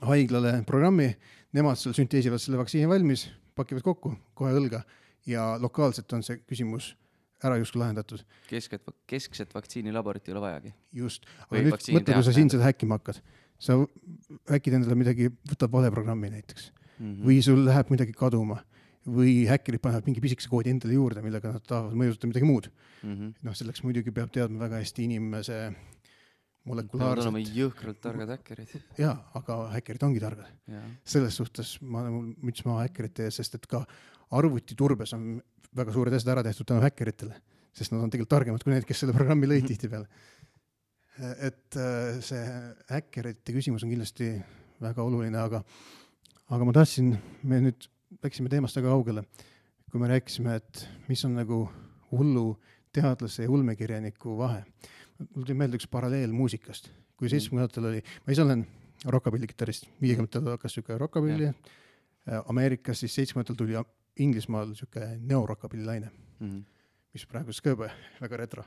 haiglale programmi, nemad seal sünteesivad selle vaktsiini valmis, pakivad kokku kohe õlga ja lokaalselt on see küsimus ära justkui lahendatud. Keskset vaktsiinilaborit ei ole vajagi. Just, aga nüüd mõtle, kui sa siin seda häkkima hakkad. Sa häkkid endale midagi, võtab vale programmi näiteks. Või sul läheb midagi kaduma. Või häkkerid panevad mingi pisikese koodi endale juurde, millega nad tahavad mõjutada midagi muud. Selleks muidugi peab teadma väga hästi inimese molekulaarselt. Peavad olema jõhkralt targad häkkerid. Jaa, aga häkkerid ongi targad. Selles suhtes ma müts maha häkkerite ees, sest et ka arvutiturbes on väga suured asjad ära tehtud tänu häkkeritele, sest nad on tegelikult targemad kui need, kes selle programmi lõid tihtipeale. Et see häkkerite küsimus on kindlasti väga oluline, aga ma tahtsin, me nüüd läksime teemast väga kaugele, kui me rääkisime, et mis on nagu hullu teadlase ja ulmekirjaniku vahe. Mul tuli meelde üks paralleel muusikast. Kui 70-ndatel oli, ma ise olen rockapillikitarist, 50-ndatel hakkas siuke rockapilli, Ameerikas siis 70-ndatel tuli Inglismaal siuke neorockapillilaine, mis praegu skõbe, väga retro.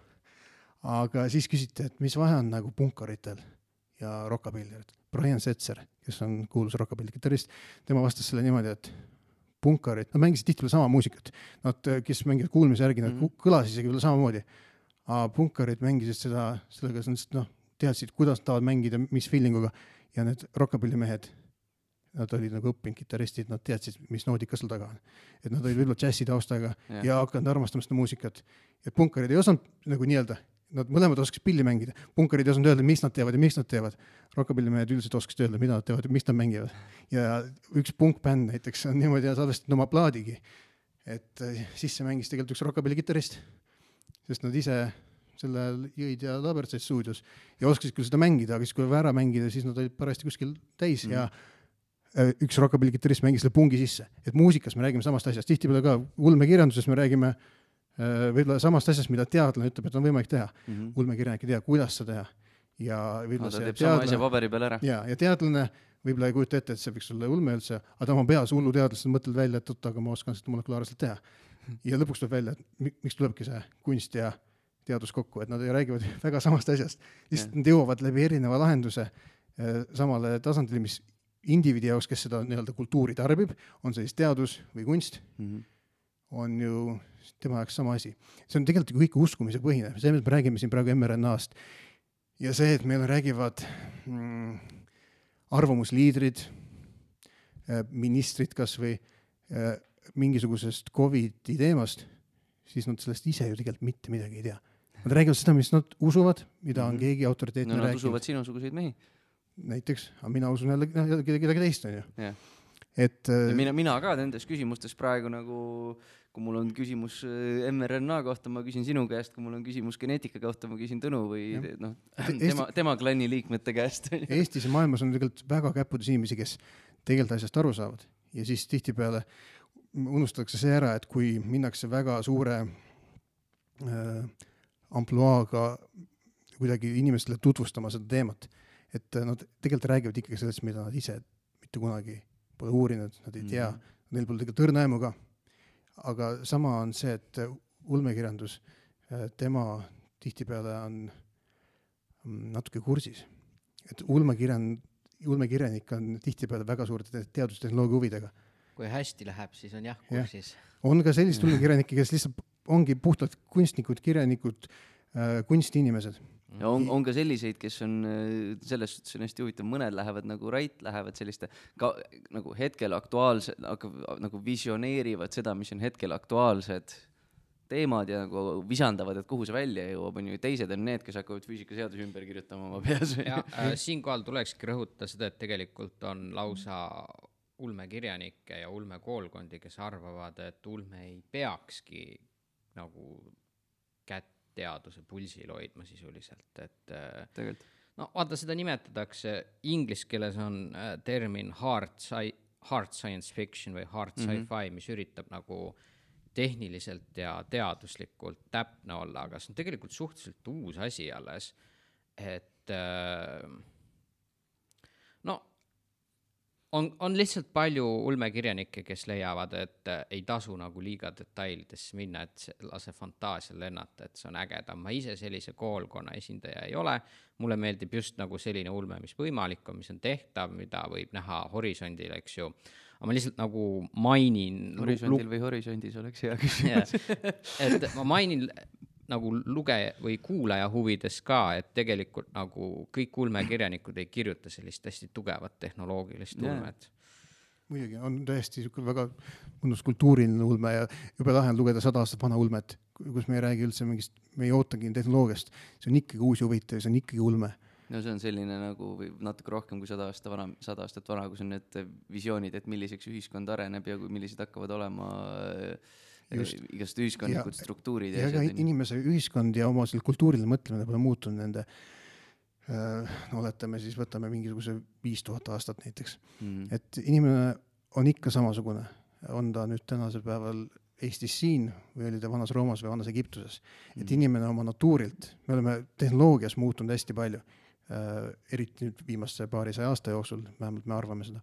Aga siis küsiti, et mis vahe on nagu punkaritel ja rockapillijatel. Brian Setzer, kes on kuulus rockapillikitarist, tema vastas selle niimoodi, et punkarid, nad mängisid tihtipeale sama muusikat. Nad, kes mängivad kuulmise järgi, nad kõlasid isegi veel samamoodi. Aga punkarid mängisid sellega, nad teadsid, kuidas tahavad mängida, mis feelinguga. Ja need rockapillimehed, nad olid nagu õppinud kitaristid, nad teadsid, mis noodika seal taga on. Et nad olid võib-olla džässi taustaga ja hakanud armastama seda muusikat. Ja punkarid ei osanud nagu nii-öelda nad mõlemad oskaks pilli mängida. Punkarid ei osanud öelda, mis nad teevad ja miks nad teevad. Rockabillimehed üldiselt oskaks öelda, mida nad teevad ja miks nad mängivad. Ja üks punkbänd näiteks on niimoodi salvestatud oma plaadigi, et sisse mängis tegelikult üks rockabilli kitarrist, sest nad ise selle jõid ja labertsaid stuudios ja oskasid küll seda mängida, aga siis kui ära mängida, siis nad olid parajasti kuskil täis ja üks rockabilli kitarrist mängis selle pungi sisse. Et muusikas me räägime samast asjast. Tihtipeale ka ulmekirjanduses me räägime võib-olla samast asjast, mida teadlane ütleb, et on võimalik teha. Ulmekirjanik ei tea, kuidas seda teha. Ja no, ta teeb sama asja paberi peal ära. Ja teadlane võib-olla ei kujuta ette, et see võiks olla ulme üldse, aga ta oma peas hullu teadlased mõtled välja, et aga ma oskan seda molekulaarselt teha. Ja lõpuks tuleb välja, et miks tulebki see kunst ja teadus kokku, et nad räägivad väga samast asjast. Lihtsalt nad jõuavad läbi erineva lahenduse samale tasandile, mis indiviidi jaoks, kes seda nii-öelda kultuuri tarbib, on see siis teadus või kunst, on ju tema jaoks sama asi. See on tegelikult kõik uskumise põhine. See, me räägime siin praegu mRNA-st ja see, et meil räägivad arvamusliidrid, ministrid kas või mingisugusest COVID-i teemast, siis nad sellest ise ju tegelikult mitte midagi ei tea. Nad räägivad seda, mis nad usuvad, mida on keegi autoriteetne rääginud. Nad usuvad sinusuguseid mehi. Näiteks, aga mina usun jälle kedagi teist, on ju. Et, mina ka nendes küsimustes praegu nagu, kui mul on küsimus mRNA kohta, ma küsin sinu käest, kui mul on küsimus geneetika kohta, ma küsin Tõnu või tema klanni liikmete käest. Eestis ja maailmas on tegelikult väga käpudes inimesi, kes tegelikult asjast aru saavad. Ja siis tihtipeale unustatakse see ära, et kui minnakse väga suure ampluaaga kuidagi inimestele tutvustama seda teemat, et nad tegelikult räägivad ikkagi sellest, mida nad ise mitte kunagi pole uurinud, nad ei tea, neil pole tegelikult õrnaemu ka. Aga sama on see, et ulmekirjandus, tema tihtipeale on natuke kursis. Et ulmekirjanik on tihtipeale väga suurte teadustehnoloogia huvidega. Kui hästi läheb, siis on jah kursis. On ka sellist ulmekirjanikke, kes lihtsalt ongi puhtalt kunstnikud, kirjanikud, kunstiinimesed. Ja on ka selliseid, kes on selles suhtes on hästi huvitav, mõned lähevad nagu Rait, lähevad selliste nagu hetkel aktuaalsed, nagu visioneerivad seda, mis on hetkel aktuaalsed teemad ja nagu visandavad, et kuhu see välja jõuab, on ju. Teised on need, kes hakkavad füüsikaseaduse ümber kirjutama oma peas. Ja, siinkohal tulekski rõhutada seda, et tegelikult on lausa ulmekirjanikke ja ulmekoolkondi, kes arvavad, et ulme ei peakski nagu kätt teaduse pulsil hoidma sisuliselt, et no vaata, seda nimetatakse, inglise keeles on termin hard science fiction või hard sci-fi, mis üritab nagu tehniliselt ja teaduslikult täpne olla, aga see on tegelikult suhteliselt uus asi alles, et no on lihtsalt palju ulmekirjanikke, kes leiavad, et ei tasu nagu liiga detailidesse minna, et lase fantaasial lennata, et see on ägedam. Ma ise sellise koolkonna esindaja ei ole. Mulle meeldib just nagu selline ulme, mis võimalik on, mis on tehtav, mida võib näha horisondil, eks ju. Aga ma lihtsalt nagu mainin... Horisondil või horisondis oleks hea küsimus. Et ma mainin nagu lugeja või kuulaja huvides ka, et tegelikult nagu kõik ulmekirjanikud ei kirjuta sellist hästi tugevat tehnoloogilist ulmet. Muidugi, on tõesti väga mõnus kultuuriline ulme ja juba lahe on lugeda 100 aastat vana ulmet, kus me ei räägi üldse mingist, me ei ootagi tehnoloogiast. See on ikkagi uusi huvitav, see on ikkagi ulme. No see on selline nagu natuke rohkem kui 100 aastat vana, kus on need visioonid, et milliseks ühiskond areneb ja millised hakkavad olema igast ühiskondlikud struktuurid. Ja inimese ühiskond ja oma kultuuriline mõtlemine pole muutunud nende, oletame siis, võtame mingisuguse 5000 aastat näiteks. Et inimene on ikka samasugune. On ta nüüd tänasel päeval Eestis siin või oli ta vanas Roomas või vanas Egiptuses. Et inimene oma natuurilt, me oleme tehnoloogias muutunud hästi palju, eriti nüüd viimaste paarisaja aasta jooksul, vähemalt me arvame seda.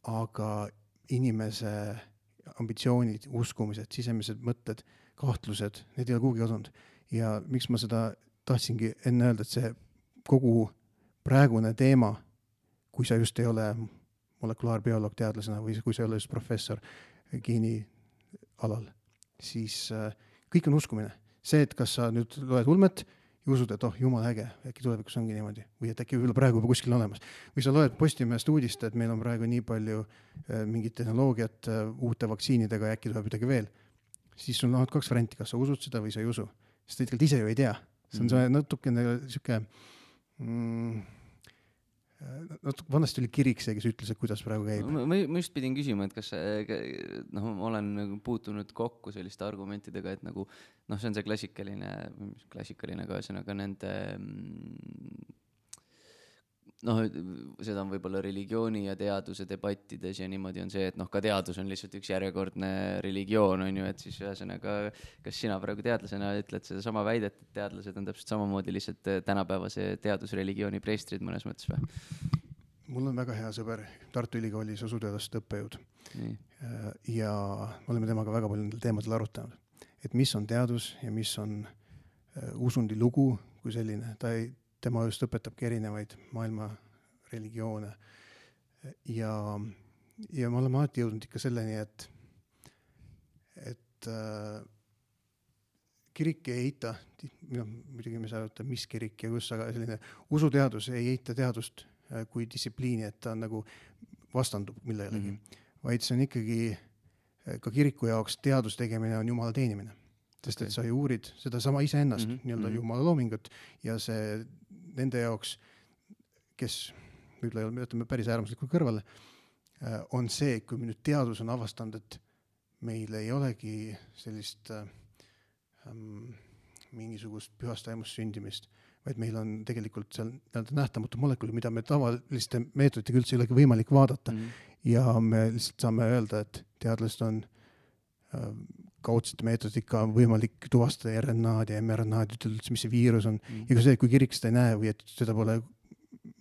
Aga inimese ambitsioonid, uskumised, sisemised mõtted, kahtlused, need ei ole kuhugi kadunud. Ja miks ma seda tahtsingi enne öelda, et see kogu praegune teema, kui sa just ei ole molekulaarbioloog teadlasena või kui sa ei ole just professor geeni alal, siis kõik on uskumine. See, et kas sa nüüd loed ulmet ja usud, et jumal äge, äkki tulevikus ongi niimoodi, või et äkki võib-olla praegu juba kuskil olemas. Või sa loed Postimehest uudist, et meil on praegu nii palju mingit tehnoloogiat uute vaktsiinidega ja äkki tuleb midagi veel. Siis sul on 2 varianti, kas sa usud seda või sa ei usu. sest ta tegelikult ise ju ei tea. See on see natukene sihuke vanasti oli kirik see, kes ütles, et kuidas praegu käib. Ma just pidin küsima, et kas ma olen nagu puutunud kokku selliste argumentidega, et nagu see on see klassikaline ka ühesõnaga nende seda on võib-olla religiooni ja teaduse debattides ja niimoodi on see, et ka teadus on lihtsalt üks järjekordne religioon, on ju, et siis ühesõnaga, kas sina praegu teadlasena ütled seda sama väidet, et teadlased on täpselt samamoodi lihtsalt tänapäevase teadusreligiooni preestrid mõnes mõttes või? Mul on väga hea sõber Tartu Ülikoolis usuteaduste õppejõud. Ja me oleme temaga väga palju nendel teemadel arutanud, et mis on teadus ja mis on usundi lugu kui selline. Tema just õpetabki erinevaid maailma religioone ja me oleme alati jõudnud ikka selleni, et kirik ei eita, muidugi me saa öelda, mis kirik ja kus, aga selline usuteadus ei eita teadust kui distsipliini, et ta nagu vastandub millelegi, vaid see on ikkagi ka kiriku jaoks teadus tegemine on Jumala teenimine, sest et sa ju uurid seda sama iseennast, nii-öelda Jumala loomingut ja see nende jaoks, kes võib-olla ütleme päris äärmuslikult kõrvale, on see, kui me nüüd teadus on avastanud, et meil ei olegi sellist mingisugust pühast taimust sündimist, vaid meil on tegelikult seal nähtamatu molekuli, mida me tavaliste meetoditega üldse ei olegi võimalik vaadata. Ja me lihtsalt saame öelda, et teadlased on kaudsete meetodika on võimalik tuvastada RNA-d ja mRNA-d, ütelda, mis see viirus on. Ja ka see, kui kirik seda ei näe või et seda pole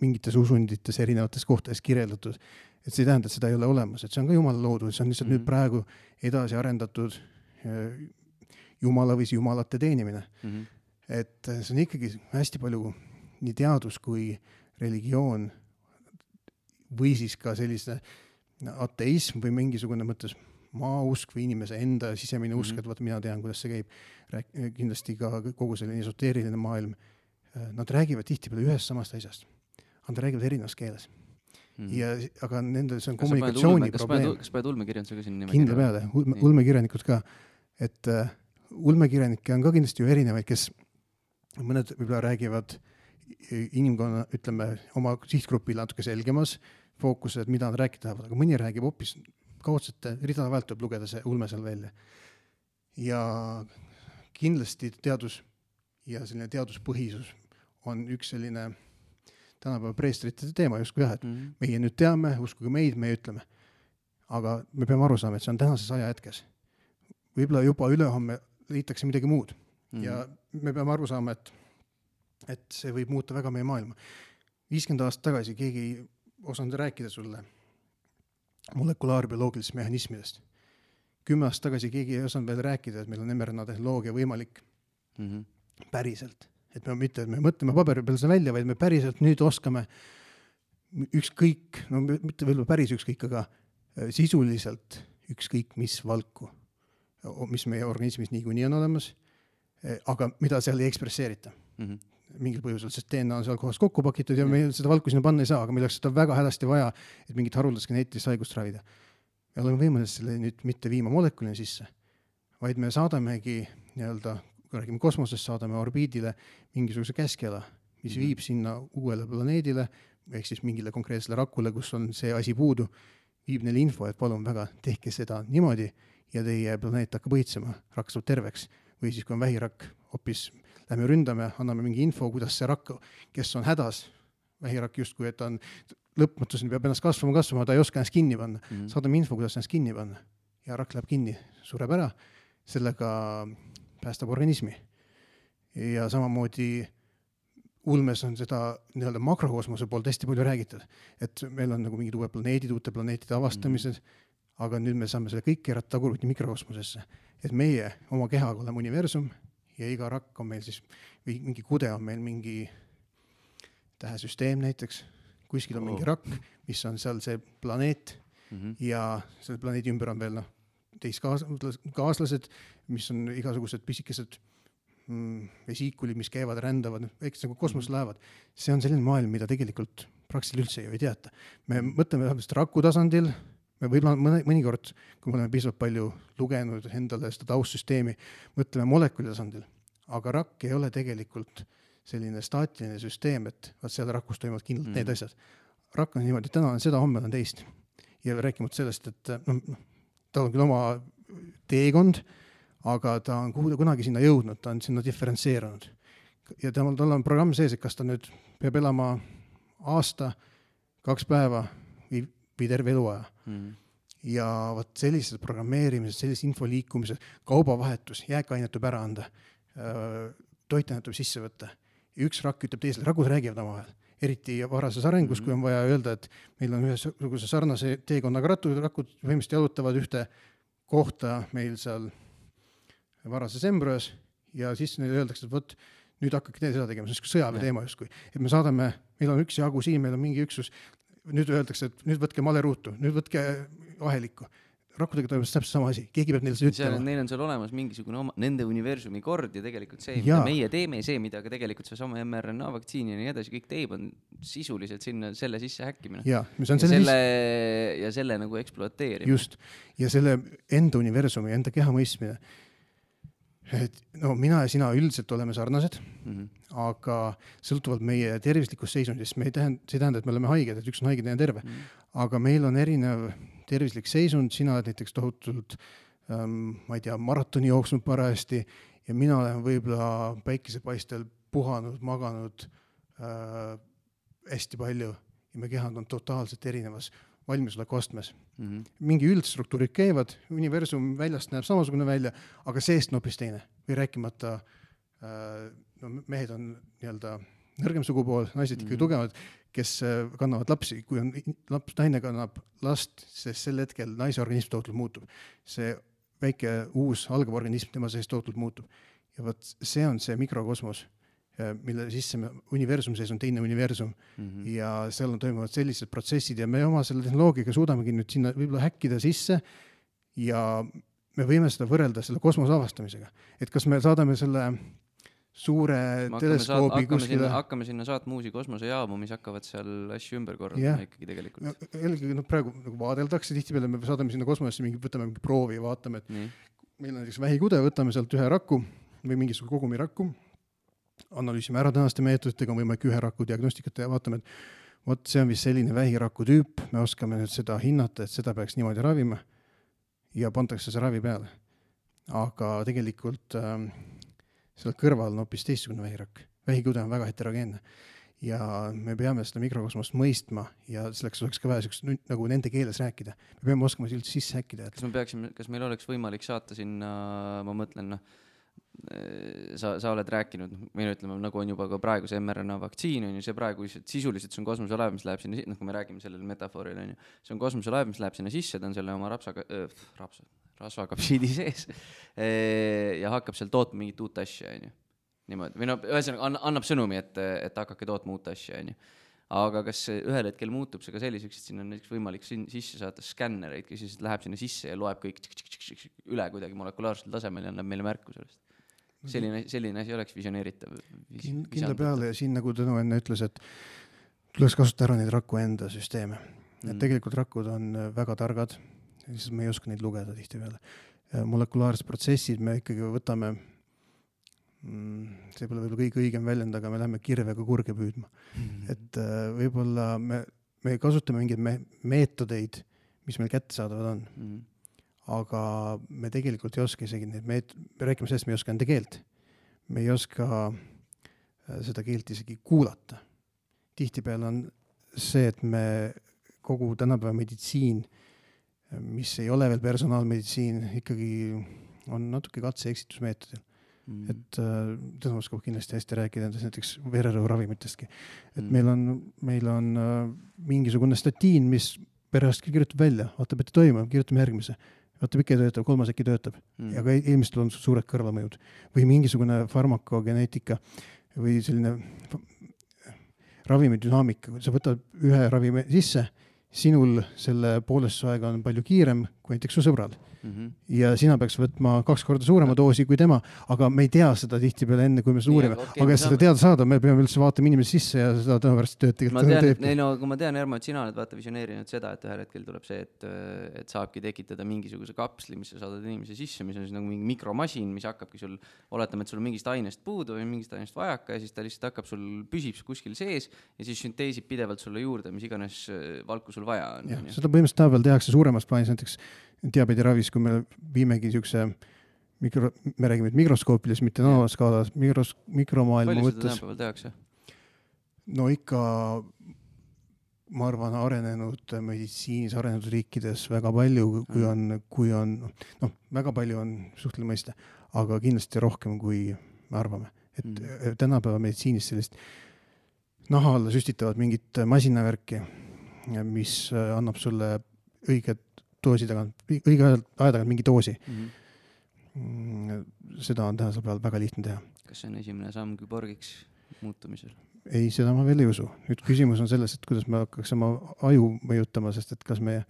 mingites usundites erinevates kohtades kirjeldatud, et see ei tähenda, et seda ei ole olemas, et see on ka Jumala loodud, see on lihtsalt nüüd praegu edasi arendatud Jumala või Jumalate teenimine. Et see on ikkagi hästi palju nii teadus kui religioon või siis ka sellise ateism või mingisugune mõttes maausk või inimese enda sisemine usk, et vaata, mina tean, kuidas see käib. Kindlasti ka kogu selline esoteeriline maailm. Nad räägivad tihtipeale ühest samast asjast. Nad räägivad erinevas keeles. Aga nendel see on kommunikatsiooni probleem. Kas paned ulmekirjanduse ka sinna nimekirja? Kindla peale, ulmekirjanikud ka. Et ulmekirjanikke on ka kindlasti ju erinevaid, kes mõned võib-olla räägivad inimkonna, ütleme, oma sihtgrupil natuke selgemas fookused, mida nad rääkida tahavad, aga mõni räägib hoopis kaudsete ridade vahelt tuleb lugeda see ulme seal välja. Ja kindlasti teadus ja selline teaduspõhisus on üks selline tänapäeva preestrite teema justkui jah, et meie nüüd teame, uskuge meid, me ütleme. Aga me peame aru saama, et see on tänases ajahetkes. Võib-olla juba ülehomme leitakse midagi muud. Ja me peame aru saama, et see võib muuta väga meie maailma. 50 aastat tagasi keegi ei osanud rääkida sulle molekulaarbioloogilisest mehhanismidest. 10 aastat tagasi keegi ei osanud veel rääkida, et meil on mRNA tehnoloogia võimalik päriselt. Et me mitte, et me mõtleme paberi peal seda välja, vaid me päriselt nüüd oskame ükskõik, no mitte veel päris ükskõik, aga sisuliselt ükskõik mis valku, mis meie organismis niikuinii on olemas, aga mida seal ei ekspresseerita. Mingil põhjusel, sest DNA on seal kohas kokku pakitud ja meil seda valku sinna panna ei saa, aga meil oleks seda väga hädasti vaja, et mingit haruldast geneetilist haigust ravida. Me oleme võimelised selle nüüd mitte viima molekulina sisse, vaid me saadamegi nii-öelda, kui räägime kosmosest, saadame orbiidile mingisuguse käskjala, mis viib sinna uuele planeedile, ehk siis mingile konkreetsele rakule, kus on see asi puudu, viib neile info, et palun väga, tehke seda niimoodi ja teie planeet hakkab õitsema, rakk saab terveks. Või siis, kui on vähirakk, hoopis lähme ründame, anname mingi info, kuidas see rakk, kes on hädas, vähirakk justkui, et ta on lõpmatuseni peab ennast kasvama, ta ei oska ennast kinni panna. Saadame info, kuidas ennast kinni panna. Ja rakk läheb kinni, sureb ära, sellega päästab organismi. Ja samamoodi ulmes on seda nii-öelda makrokosmose poolt hästi palju räägitud, et meil on nagu mingid uued planeedid, uute planeetide avastamised, aga nüüd me saame selle kõik keerata tagurpidi mikrokosmosesse, et meie oma kehaga oleme universum ja iga rakk on meil siis, või mingi kude on meil mingi tähesüsteem näiteks, kuskil on mingi rakk, mis on seal see planeet ja selle planeedi ümber on veel teist-kaaslased, mis on igasugused pisikesed vesiikulid, mis käivad, rändavad, eks nagu kosmoselaevad. See on selline maailm, mida tegelikult praktiliselt üldse ju ei teata. Me mõtleme raku tasandil, me võib-olla mõnikord, kui me oleme piisavalt palju lugenud endale seda taustsüsteemi, mõtleme molekuli tasandil, aga rakk ei ole tegelikult selline staatiline süsteem, et vaat seal rakus toimuvad kindlalt need asjad. Rakk on niimoodi, täna on seda, homme on teist. Ja rääkimata sellest, et tal on küll oma teekond, aga ta on kunagi sinna jõudnud, ta on sinna diferentseerunud. Ja tal on programm sees, et kas ta nüüd peab elama aasta, 2 päeva või terve eluaja. Ja vaat sellised programmeerimised, sellised info liikumised, kaubavahetus, jääkainet tuleb ära anda, toitainet tuleb sisse võtta. Ja üks rakk ütleb teisele, rakud räägivad omavahel. Eriti varases arengus, kui on vaja öelda, et meil on ühesuguse sarnase teekonnaga rakud võimesti jalutavad ühte kohta meil seal varases embrüos ja siis neile öeldakse, et võt, nüüd hakkake seda tegema, see on sõjaväe teema justkui. Et me saadame, meil on üks jagu siin, meil on mingi üksus, nüüd öeldakse, et nüüd võtke maleruutu, nüüd võtke ahelikku. Rakkudega toimub täpselt sama asi, keegi peab neile seda ütlema. Neil on seal olemas mingisugune nende universumi kord ja tegelikult see, mida meie teeme, see, mida ka tegelikult see sama mRNA vaktsiini ja nii edasi kõik teeb, on sisuliselt sinna selle sisse häkkimine. Ja selle nagu ekspluateerimine. Just, ja selle enda universumi, enda keha mõistmine. Et, no mina ja sina üldiselt oleme sarnased, aga sõltuvalt meie tervislikust seisundist, see tähendab, et me oleme haiged, et üks on haiged ja terve. Aga meil on erinev tervislik seisund, sina oled näiteks tohutult, ma ei tea, maratoni jooksnud parajasti ja mina olen võib-olla päikesepaistel puhanud, maganud hästi palju ja me kehad on totaalselt erinevas valmisoleku astmes. Mingi üldstruktuurid käivad, universum väljast näeb samasugune välja, aga seest on hoopis teine. Või rääkimata, mehed on nii-öelda nõrgem sugupool, naised ikka tugevad, kes kannavad lapsi. Kui on naine kannab last, sest sel hetkel naise organism tootult muutub. See väike uus algav organism tema sees tootult muutub. Ja võt, see on see mikrokosmos, mille sisse universum sees on teine universum ja seal on toimuvad sellised protsessid ja me oma selle tehnoloogiaga suudamegi nüüd sinna võib-olla häkkida sisse ja me võime seda võrrelda selle kosmose avastamisega. Et kas me saadame selle suure teleskoobi kuskile... Hakkame sinna saatma uusi kosmosejaamu, mis hakkavad seal asju ümber korraldama ikkagi tegelikult. Praegu nagu vaadeldakse tihtipeale, me saadame sinna kosmosesse, võtame mingi proovi ja vaatame, et meil on näiteks vähikude, võtame sealt ühe rakku või mingisugune kogumi rakku, analüüsime ära tänaste meetoditega, on võimalik ühe raku diagnostikat ja vaatame, et võt, see on vist selline vähiraku tüüp, me oskame nüüd seda hinnata, et seda peaks niimoodi ravima ja pantakse see ravi peale. Aga tegelikult seal kõrval on hoopis teistsugune vähirakk. Vähikude on väga heterogeenne ja me peame seda mikrokosmost mõistma ja selleks oleks ka vaja nagu nende keeles rääkida. Me peame oskama üldse sisse häkkida. Kas meil oleks võimalik saata sinna, ma mõtlen, sa oled rääkinud, meil ütleme, nagu on juba ka praegu see mRNA vaktsiin, on ju, see praegu sisuliselt see on kosmoselaev, mis läheb sinna, kui me räägime sellele metafooril, on ju, see on kosmoselaev, mis läheb sinna sisse, ta on selle oma rasvakapsiidi sees ja hakkab seal tootma mingit uut asja, on ju. Niimoodi, või ühesõnaga annab sõnumi, et hakkake tootma uut asja, on ju. Aga kas ühel hetkel muutub see ka selliseks, et siin on näiteks võimalik sisse saata skännereid, kes siis läheb sinna sisse ja loeb kõik üle kuidagi molekulaarsel tasemel ja annab meile märku sellest? Selline asi oleks visioneeritav. Kindla peale ja siin nagu Tõnu enne ütles, et tuleks kasutada ära neid raku enda süsteeme. Et tegelikult rakud on väga targad, siis me ei oska neid lugeda tihti peale. Molekulaarsed protsessid me ikkagi võtame, see pole võib-olla kõige õigem väljend, aga me läheme kirvega kurge püüdma. Et võib-olla me kasutame mingeid meetodeid, mis meil kätte saadavad on. Aga me tegelikult ei oska isegi me räägime sellest, me ei oska enda keelt. Me ei oska seda keelt isegi kuulata. Tihtipeale on see, et me kogu tänapäeva meditsiin, mis ei ole veel personaalmeditsiin, ikkagi on natuke katse-eksitusmeetodil. Et Tõnu oskab kindlasti hästi rääkida näiteks vererõhuravimitestki. Et meil on mingisugune statiin, mis perearst kirjutab välja, vaatab, et toimub, kirjutame järgmise. Vaatab, ikka töötab, 3 äkki töötab. Ja ka ilmselt on suured kõrvalmõjud. Või mingisugune farmakogeneetika või selline ravimidünaamika. Sa võtad ühe ravimi sisse, sinul selle poolestuse aega on palju kiirem kui näiteks su sõbral. ja sina peaks võtma 2 korda suurema doosi kui tema, aga me ei tea seda tihtipeale enne, kui me seda uurime. Aga et seda teada saada, me peame üldse vaatama inimese sisse ja seda tõepärast tööd tegelikult ma tean, Ermo, et sina oled vaata visioneerinud seda, et ühel hetkel tuleb see, et saabki tekitada mingisuguse kapsli, mis sa saadad inimese sisse, mis on siis nagu mingi mikromasin, mis hakkabki sul, oletame, et sul on mingist ainest puudu või mingist ainest vajaka ja siis ta lihtsalt hakkab sul, püsib kuskil sees ja siis sünteesib pidevalt sulle juurde, mis iganes valku sul vaja on. Ja, seda põhimõtteliselt tänapäeval tehakse suuremas plaanis, näiteks diabeediravis, kui me viimegi siukse me räägime mikroskoopides, mitte nanoskaalas, mikromaailma mõttes. Palju seda tänapäeval tehakse? No ikka, ma arvan, arenenud meditsiinis, arenenud riikides väga palju, kui on väga palju on suhtele mõista, aga kindlasti rohkem, kui me arvame. Et tänapäeva meditsiinis sellist naha alla süstitavad mingit masinavärki, mis annab sulle õige doosi tagant, õige aja tagant mingi doosi. Seda on tänasel peal väga lihtne teha. Kas see on esimene samm küborgiks muutumisel? Ei, seda ma veel ei usu. Nüüd küsimus on selles, et kuidas me hakkaks oma aju mõjutama, sest et kas meie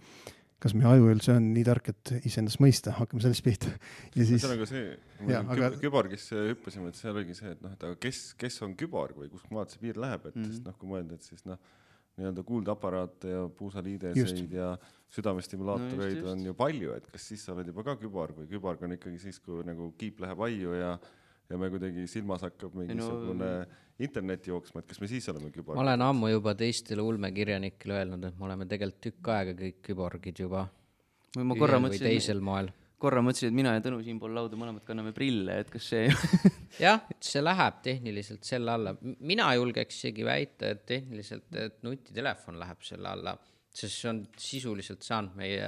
aju üldse on nii tark, et iseendast mõista, hakkame sellest pihta. Ja siis... See on ka see, küborgisse hüppasime, et seal oligi see, et aga kes on küborg või kus maad see piir läheb, et sest kui mõelda, et siis nii-öelda kuuldaparaate ja puusaliideseid ja südamestimulaatoreid on ju palju, et kas siis sa oled juba ka küborg või küborg on ikkagi siis, kui nagu kiip läheb aiu ja me kuidagi silmas hakkab mingisugune internet jooksma, et kas me siis oleme küborg? Ma olen ammu juba teistele ulmekirjanikele öelnud, et me oleme tegelikult tükk aega kõik küborgid juba või teisel moel. Korra mõtlesin, et mina ja Tõnu siin pool lauda mõlemad kanname prille, et kas see... Jah, see läheb tehniliselt selle alla. Mina julgeks isegi väita, et tehniliselt et nutitelefon läheb selle alla, sest see on sisuliselt saanud meie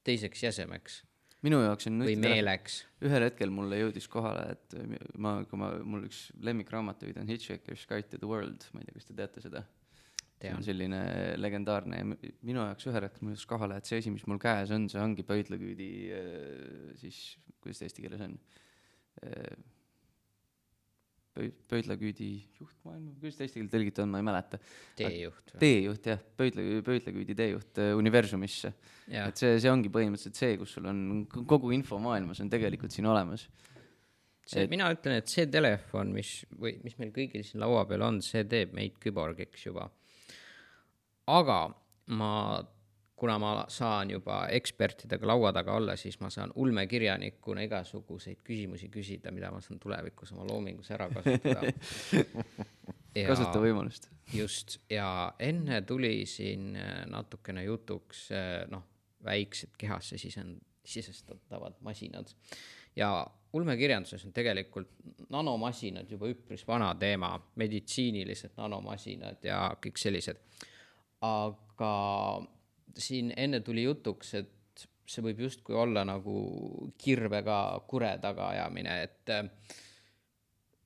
teiseks jäsemeks. Minu jaoks on või meeleks. Ühel hetkel mulle jõudis kohale, et mul üks lemmikraamatuid on Hitchhiker's Guide to the World, ma ei tea, kas te teate seda? See on selline legendaarne ja minu jaoks ühel hetkel mul jõudis kohale, et see asi, mis mul käes on, see ongi pöidlaküüdi, siis, kuidas eesti keeles on? Pöidlaküüdi juhtmaailma, kuidas eesti keeles tõlgit on, ma ei mäleta. Teejuht, jah, pöidlaküüdi teejuht universumisse. Et see ongi põhimõtteliselt see, kus sul on kogu info maailmas on tegelikult siin olemas. Mina ütlen, et see telefon, mis meil kõigil siin laua peal on, see teeb meid küborgiks juba. Aga kuna ma saan juba ekspertidega laua taga olla, siis ma saan ulmekirjanikuna igasuguseid küsimusi küsida, mida ma saan tulevikus oma loomingus ära kasutada. Kasuta võimalust. Just, ja enne tuli siin natukene jutuks väiksed kehasse sisestatavad masinad. Ja ulmekirjanduses on tegelikult nanomasinad juba üpris vana teema, meditsiinilised nanomasinad ja kõik sellised. Aga siin enne tuli jutuks, et see võib justkui olla nagu kirvega kure tagaajamine, et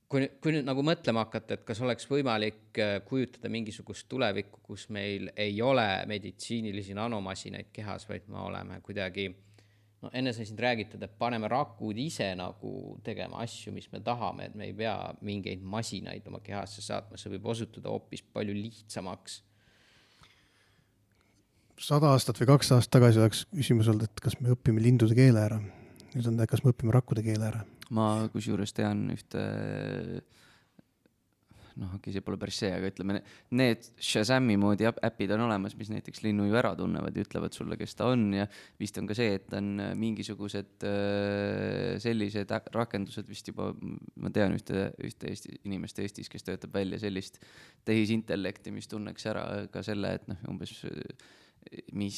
kui nüüd nagu mõtlema hakata, et kas oleks võimalik kujutada mingisugust tulevikku, kus meil ei ole meditsiinilisi nanomasinaid kehas, vaid me oleme kuidagi enne sai siin räägitada, et paneme rakud ise nagu tegema asju, mis me tahame, et me ei pea mingeid masinaid oma kehasse saatma, see võib osutuda hoopis palju lihtsamaks. 100 aastat või 2 aastat tagasi oleks küsimus olnud, et kas me õpime lindude keele ära. Nüüd on, kas me õpime rakkude keele ära. Ma kusjuures tean ühte, see pole päris see, aga ütleme, need Shazami moodi äpid on olemas, mis näiteks linnu ju ära tunnevad ja ütlevad sulle, kes ta on ja vist on ka see, et on mingisugused sellised rakendused vist juba, ma tean ühte inimest Eestis, kes töötab välja sellist tehisintellekti, mis tunneks ära ka selle, et umbes mis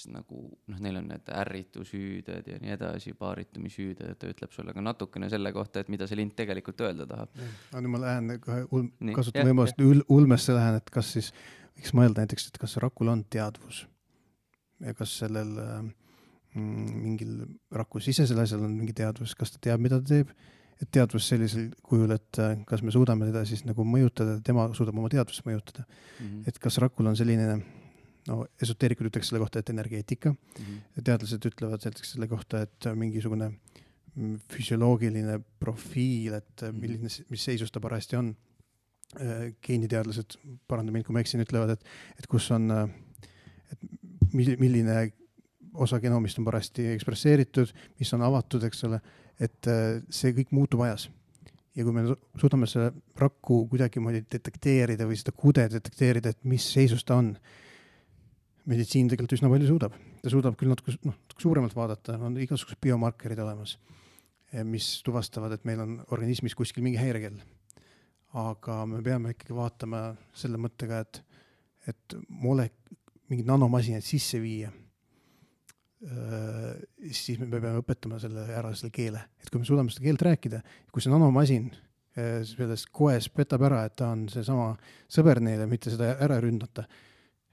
nagu, neil on need ärritushüüded ja nii edasi, paaritumisüüded, ta ütleb sulle ka natukene selle kohta, et mida see lint tegelikult öelda tahab. Nüüd ma lähen kasutan võimalust ulmesse lähen, et kas siis võiks mõelda näiteks, et kas rakul on teadvus ja kas sellel mingil raku sisesel asjal on mingi teadvus, kas ta teab, mida ta teeb, et teadvus sellisel kujul, et kas me suudame teda siis nagu mõjutada, tema suudab oma teadvust mõjutada. Et kas rakul on selline esoteerikud ütleks selle kohta, et energeetika. Teadlased ütlevad selle kohta, et mingisugune füsioloogiline profiil, et mis seisus ta parajasti on. Geeniteadlased, paranda mind, kui ma eksin, ütlevad, et kus on, et milline osa genoomist on parasti ekspresseeritud, mis on avatud, eks ole, et see kõik muutub ajas. Ja kui me suudame selle rakku kuidagimoodi detekteerida või seda kude detekteerida, et mis seisus ta on, meditsiin tegelikult üsna palju suudab. Ta suudab küll natuke suuremalt vaadata, on igasugused biomarkerid olemas, mis tuvastavad, et meil on organismis kuskil mingi häirekell. Aga me peame ikkagi vaatama selle mõttega, et mingid nanomasinad sisse viia. Siis me peame õpetama ära selle keele. Et kui me suudame seda keelt rääkida, kui see nanomasin sellest koes petab ära, et ta on see sama sõber neile, mitte seda ära ründata.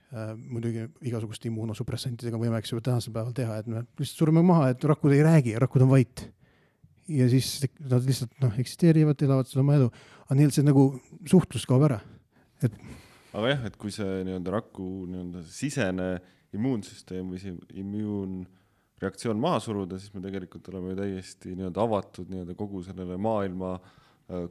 Muidugi igasuguste immuunosupressantidega võime tänasel päeval teha, et me lihtsalt sureme maha, et rakud ei räägi, rakud on vait. Ja siis nad lihtsalt eksisteerivad, elavad seda oma elu. Aga neil see nagu suhtlus kaob ära. Aga jah, et kui see raku sisene immuunsüsteem või see immuunreaktsioon maha suruda, siis me tegelikult oleme täiesti avatud kogu sellele maailma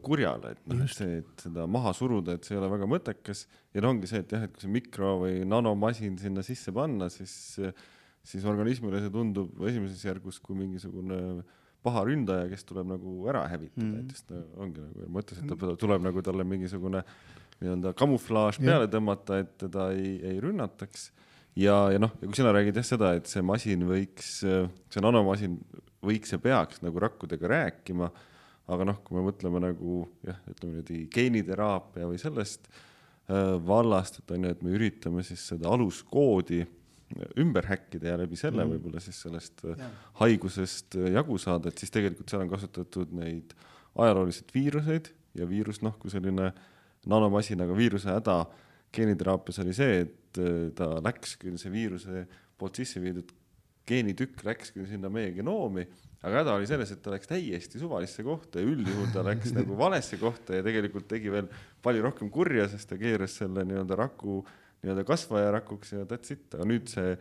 kurjale, et see, et seda maha suruda, et see ei ole väga mõttekas ja ongi see, et jah, et kui see mikro- või nanomasin sinna sisse panna, siis organismile see tundub esimeses järgus kui mingisugune paha ründaja, kes tuleb nagu ära hävitada, et just ongi nagu mõttes, et ta tuleb nagu talle mingisugune kamuflaaž peale tõmmata, et teda ei rünnataks ja kui sina räägid seda, et see masin võiks, see nanomasin võiks ja peaks nagu rakkudega rääkima. Aga kui me mõtleme nagu, ütleme geeniteraapia või sellest vallast, et me üritame siis seda aluskoodi ümber häkkida ja läbi selle võib-olla siis sellest haigusest jagu saada, et siis tegelikult seal on kasutatud neid ajalooliselt viiruseid ja viirus, kui selline nanomasinaga viiruse häda geeniteraapias oli see, et ta läks küll see viiruse poolt sisse viidud geenitükk läks küll sinna meie genoomi, aga häda oli selles, et ta läks täiesti suvalisse kohta ja üldjuhul ta läks nagu valesse kohta ja tegelikult tegi veel palju rohkem kurja, sest ta keeras selle raku kasvaja rakuks ja that's it. Aga nüüd see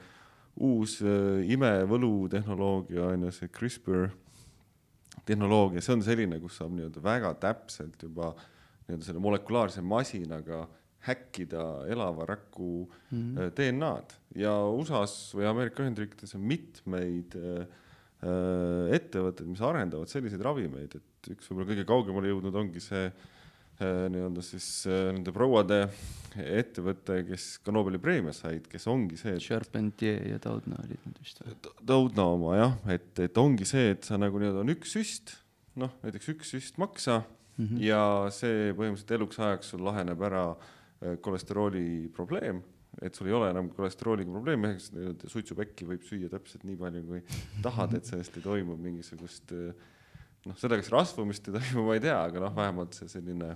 uus imevõlu tehnoloogia, see CRISPR tehnoloogia, see on selline, kus saab väga täpselt juba selle molekulaarse masinaga häkkida elava raku DNA-d ja USAs või Ameerika Ühendriikides on mitmeid ettevõtted, mis arendavad selliseid ravimeid, et üks võib-olla kõige kaugemale jõudnud ongi see siis nende prouade ettevõte, kes ka Nobeli preemia said, kes ongi see, Charpentier ja Doudna olid need vist. Doudna oma, jah, et ongi see, et sa nagu on üks süst, näiteks üks süst maksa ja see põhimõtteliselt eluks ajaks sul laheneb ära kolesterooli probleem, et sul ei ole enam kolesterooliga probleemi, suitsupekki võib süüa täpselt nii palju, kui tahad, et sellest ei toimu mingisugust, seda kas rasvumist ei toimu, ma ei tea, aga vähemalt see selline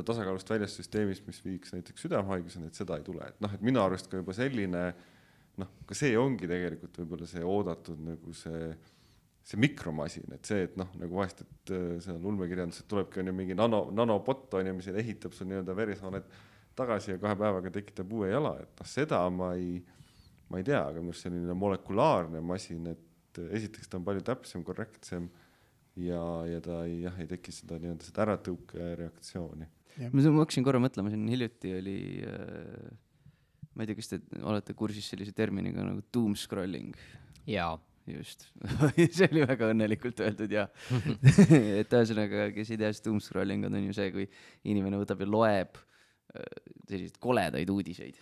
tasakaalust väljas süsteemis, mis viiks näiteks südamehaiguseni, et seda ei tule. Et minu arust ka juba selline, ka see ongi tegelikult võib-olla see oodatud nagu see mikromasin, et see, et nagu vahest, et seal ulmekirjanduses tulebki mingi nanopott on ja mis ehitab sul veresooned tagasi ja 2 päevaga tekitab uue jala, et seda ma ei tea, aga minu selline molekulaarne masin, et esiteks ta on palju täpsem, korrektsem ja ta ei teki seda äratõuke reaktsiooni. Ma hakkasin korra mõtlema, siin hiljuti oli, ma ei tea, kas te olete kursis sellise terminiga nagu doom scrolling? Jaa. Just, see oli väga õnnelikult öeldud ja et ühesõnaga, kes ei tea, siis doom scrolling on ju see, kui inimene võtab ja loeb selliseid koledaid uudiseid.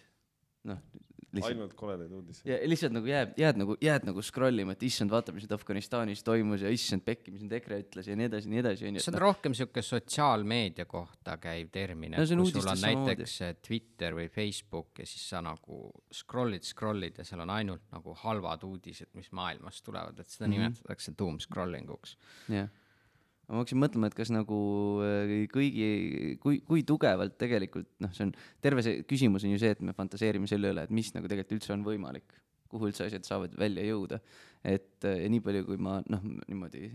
Ainult koledaid uudiseid. Ja lihtsalt nagu jääd nagu scrollima, et issand, vaata, mis Afganistanis toimus ja issand pekki, mis nüüd EKRE ütles ja nii edasi, nii edasi. See on rohkem siuke sotsiaalmeedia kohta käiv termin, et kui sul on näiteks Twitter või Facebook ja siis sa nagu scrollid ja seal on ainult nagu halvad uudised, mis maailmast tulevad, et seda nimetatakse doom scrollinguks. Jah. Ma hakkasin mõtlema, et kas nagu kui tugevalt tegelikult, see on terve see küsimus on ju see, et me fantaseerime selle üle, et mis nagu tegelikult üldse on võimalik, kuhu üldse asjad saavad välja jõuda. Et ja nii palju, kui ma niimoodi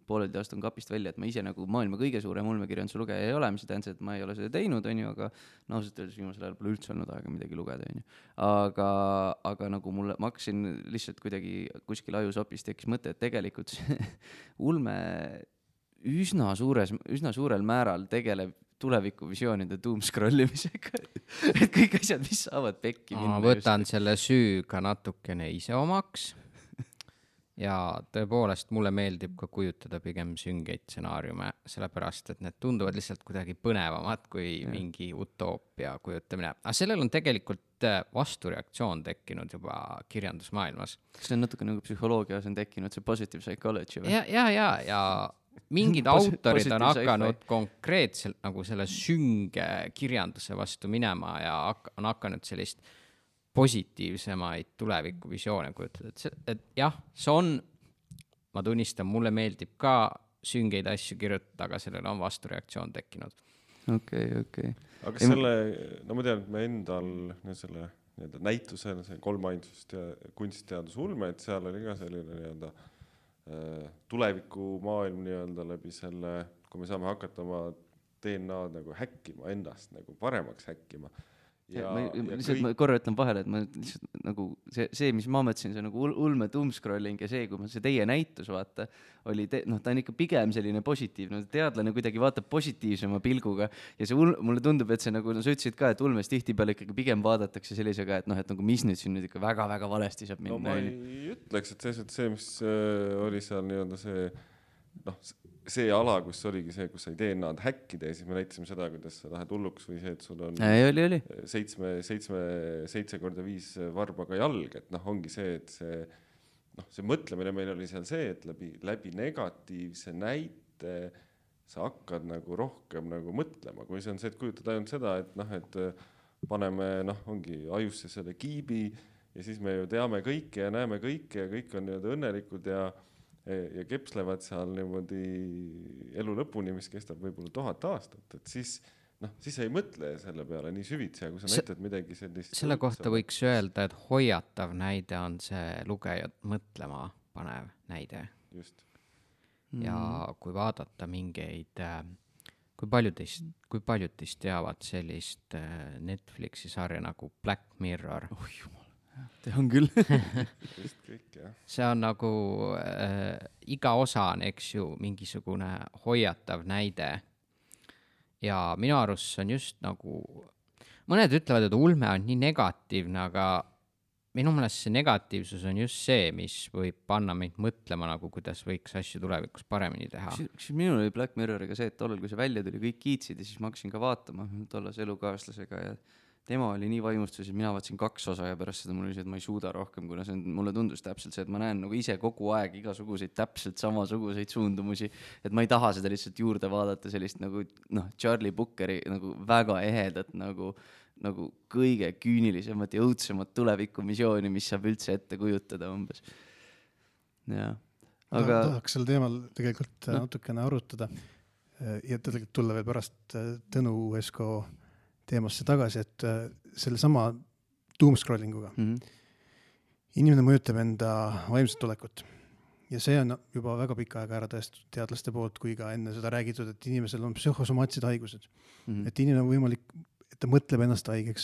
pooleldi astun kapist välja, et ma ise nagu maailma kõige suurem ulmekirjanduse lugeja ei ole, mis tähendab, et ma ei ole seda teinud, on ju, aga ausalt öeldes viimasel ajal pole üldse olnud aega midagi lugeda, on ju. Aga nagu ma hakkasin lihtsalt kuidagi kuskil ajusopis tekkis mõte, et tegelikult ulme üsna suurel määral tegeleb tulevikuvisioonide doomscrollimisega. Et kõik asjad, mis saavad pekki minna. Ma võtan selle süü ka natukene ise omaks. Ja tõepoolest mulle meeldib ka kujutada pigem süngeid stsenaariume, sellepärast, et need tunduvad lihtsalt kuidagi põnevamad kui mingi utoopia kujutamine. Aga sellel on tegelikult vastureaktsioon tekkinud juba kirjandusmaailmas. See on natuke nagu psühholoogias on tekkinud see positive psychology või? Ja mingid autorid on hakanud konkreetselt nagu selle sünge kirjanduse vastu minema ja on hakanud sellist positiivsemaid tulevikuvisioone kujutada. Et jah, see on, ma tunnistan, mulle meeldib ka süngeid asju kirjutada, aga sellele on vastureaktsioon tekkinud. Okei. Aga selle, no ma tean, et me endal selle näitusel, see kolmaindsust ja kunstiteadus ulme, et seal oli ka selline tulevikumaailm läbi selle, kui me saame hakata oma DNA-d nagu häkkima endast, nagu paremaks häkkima. Ma korra ütlen vahele, et ma lihtsalt nagu see, mis ma mõtlesin, see nagu ulme doomscrolling ja see, kui see teie näitus vaata, oli ta on ikka pigem selline positiivne, teadlane kuidagi vaatab positiivsema pilguga ja see mulle tundub, et see nagu sa ütlesid ka, et ulmes tihtipeale ikkagi pigem vaadatakse sellisega, et et nagu mis nüüd siin nüüd ikka väga-väga valesti saab minna. No ma ei ütleks, et see, mis oli seal see ala, kus oligi see, kus sai DNA-d häkkida ja siis me näitasime seda, kuidas sa lähed hulluks või see, et sul on 7x5 varbaga jalg, et ongi see, et see mõtlemine meil oli seal see, et läbi negatiivse näite sa hakkad nagu rohkem nagu mõtlema, kui see on see, et kujutad ainult seda, et paneme ongi ajusse selle kiibi ja siis me ju teame kõike ja näeme kõike ja kõik on õnnelikud ja kepslevad seal niimoodi elu lõpuni, mis kestab võib-olla 1000 aastat, et siis ei mõtle selle peale nii süvitsi, ja kui sa näitad midagi sellist. Selle kohta võiks öelda, et hoiatav näide on see lugejat mõtlema panev näide. Just. Ja kui vaadata mingeid, kui paljud teist teavad sellist Netflixi sarja nagu Black Mirror. Tehan küll. See on nagu iga osa on, eks ju, mingisugune hoiatav näide. Ja minu arust see on just nagu, mõned ütlevad, et ulme on nii negatiivne, aga minu meelest see negatiivsus on just see, mis võib panna meid mõtlema, nagu kuidas võiks asju tulevikus paremini teha. Siis minul oli Black Mirroriga see, et tollal, kui see välja tuli, kõik kiitsid ja siis ma hakkasin ka vaatama tollas elukaaslasega ja tema oli nii vaimustuses, mina vaatasin 2 osa ja pärast seda mul oli see, et ma ei suuda rohkem, kuna see mulle tundus täpselt see, et ma näen nagu ise kogu aeg igasuguseid täpselt samasuguseid suundumusi, et ma ei taha seda lihtsalt juurde vaadata sellist nagu Charlie Bookeri nagu väga ehedat nagu kõige küünilisemat ja õudsemat tulevikumissiooni, mis saab üldse ette kujutada umbes. Ja. Aga tahaks sel teemal tegelikult natukene arutada ja tegelikult tulla veel pärast Tõnu Esko teemasse tagasi, et selle sama doomscrollinguga inimene mõjutab enda vaimset olekut. Ja see on juba väga pikka aega ära tõestatud teadlaste poolt, kui ka enne seda räägitud, et inimesel on psühhosomaatsed haigused. Et inimene on võimalik, et ta mõtleb ennast haigeks.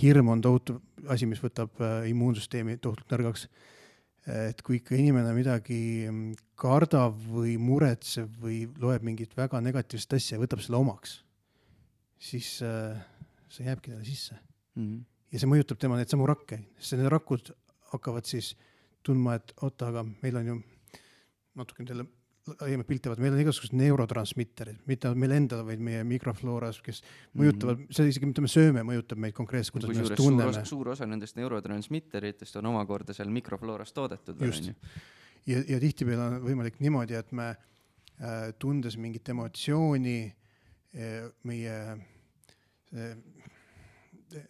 Hirm on tohutu asi, mis võtab immuunsüsteemi tohutult nõrgaks. Et kui ikka inimene midagi kardab või muretseb või loeb mingit väga negatiivset asja ja võtab selle omaks, siis see jääbki talle sisse. Ja see mõjutab tema need samu rakke. Sest need rakud hakkavad siis tundma, et oota, aga meil on ju natuke teile laiemad piltivad, meil on igasugused neurotransmitterid, mitte meil endal, vaid meie mikroflooras, kes mõjutavad, see isegi mitte me sööme, mõjutab meid konkreetselt, kuidas me ennast tunneme. Suur osa nendest neurotransmitteritest on omakorda seal mikroflooras toodetud. Just. Ja tihtipeale on võimalik niimoodi, et me tundes mingit emotsiooni meie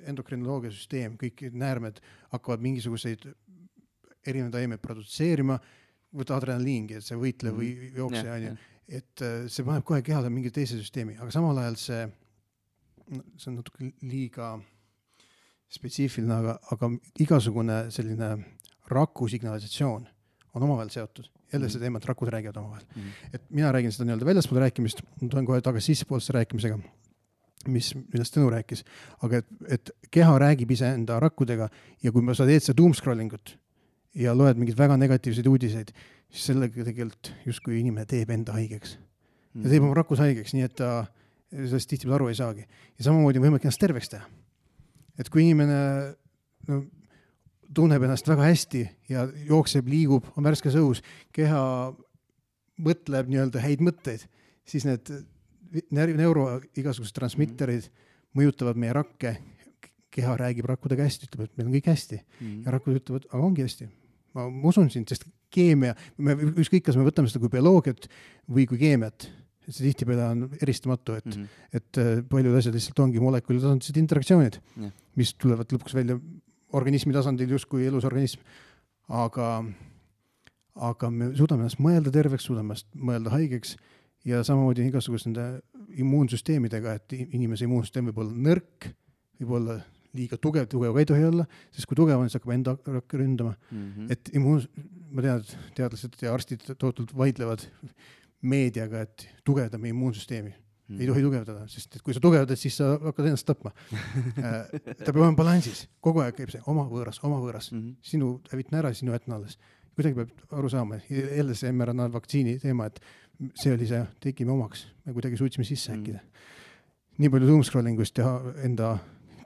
endokrinoloogia süsteem, kõik näärmed hakkavad mingisuguseid erinevaid aimeid produtseerima, võtta adrenaliingi, et see võitle või jookse, et see paneb kohe kehale mingi teise süsteemi, aga samal ajal see on natuke liiga spetsiifiline, aga igasugune selline raku signalisatsioon on omavahel seotud. Jälle see teema, et rakud räägivad omavahel. Et mina räägin seda nii-öelda väljaspool rääkimist, ma tulen kohe tagasi sissepoolse rääkimisega, millest Tõnu rääkis, aga et keha räägib ise enda rakkudega ja kui sa teed seda doomscrollingut ja loed mingid väga negatiivseid uudiseid, siis sellega tegelikult justkui inimene teeb enda haigeks. Ja teeb oma rakus haigeks, nii et ta sellest tihtipeale aru ei saagi. Ja samamoodi on võimalik ennast terveks teha. Et kui inimene tunneb ennast väga hästi ja jookseb, liigub, on värskes õhus, keha mõtleb nii-öelda häid mõtteid, siis need igasugused transmitterid mõjutavad meie rakke, keha räägib rakkudega hästi, ütleb, et meil on kõik hästi. Ja rakkud ütlevad, aga ongi hästi. Ma usun sind, sest keemia, ükskõik, kas me võtame seda kui bioloogiat või kui keemiat, et see tihtipeale on eristamatu, et paljud asjad lihtsalt ongi molekuli tasandised interaktsioonid, mis tulevad lõpuks välja organismi tasandil justkui elus organism, aga me suudame ennast mõelda terveks, suudame ennast mõelda haigeks ja samamoodi igasugust nende immuunsüsteemidega, et inimese immuunsüsteem võib olla nõrk, võib olla liiga tugev ka ei tohi olla, sest kui tugev on, siis hakkab enda rakke ründama. Et ma tean, et teadlased ja arstid tohutult vaidlevad meediaga, et tugevdame immuunsüsteemi. Ei tohi tugevdada, sest et kui sa tugevdad, siis sa hakkad ennast tapma. Ta peab olema balansis. Kogu aeg käib see oma võõras. Sinu hävitan ära, sinu jätna alles. Kuidagi peab aru saama. Jälle see mRNA vaktsiini teema, et see oli see, tegime omaks. Me kuidagi suutsime sisse äkkida. Nii palju doomscrollingust ja enda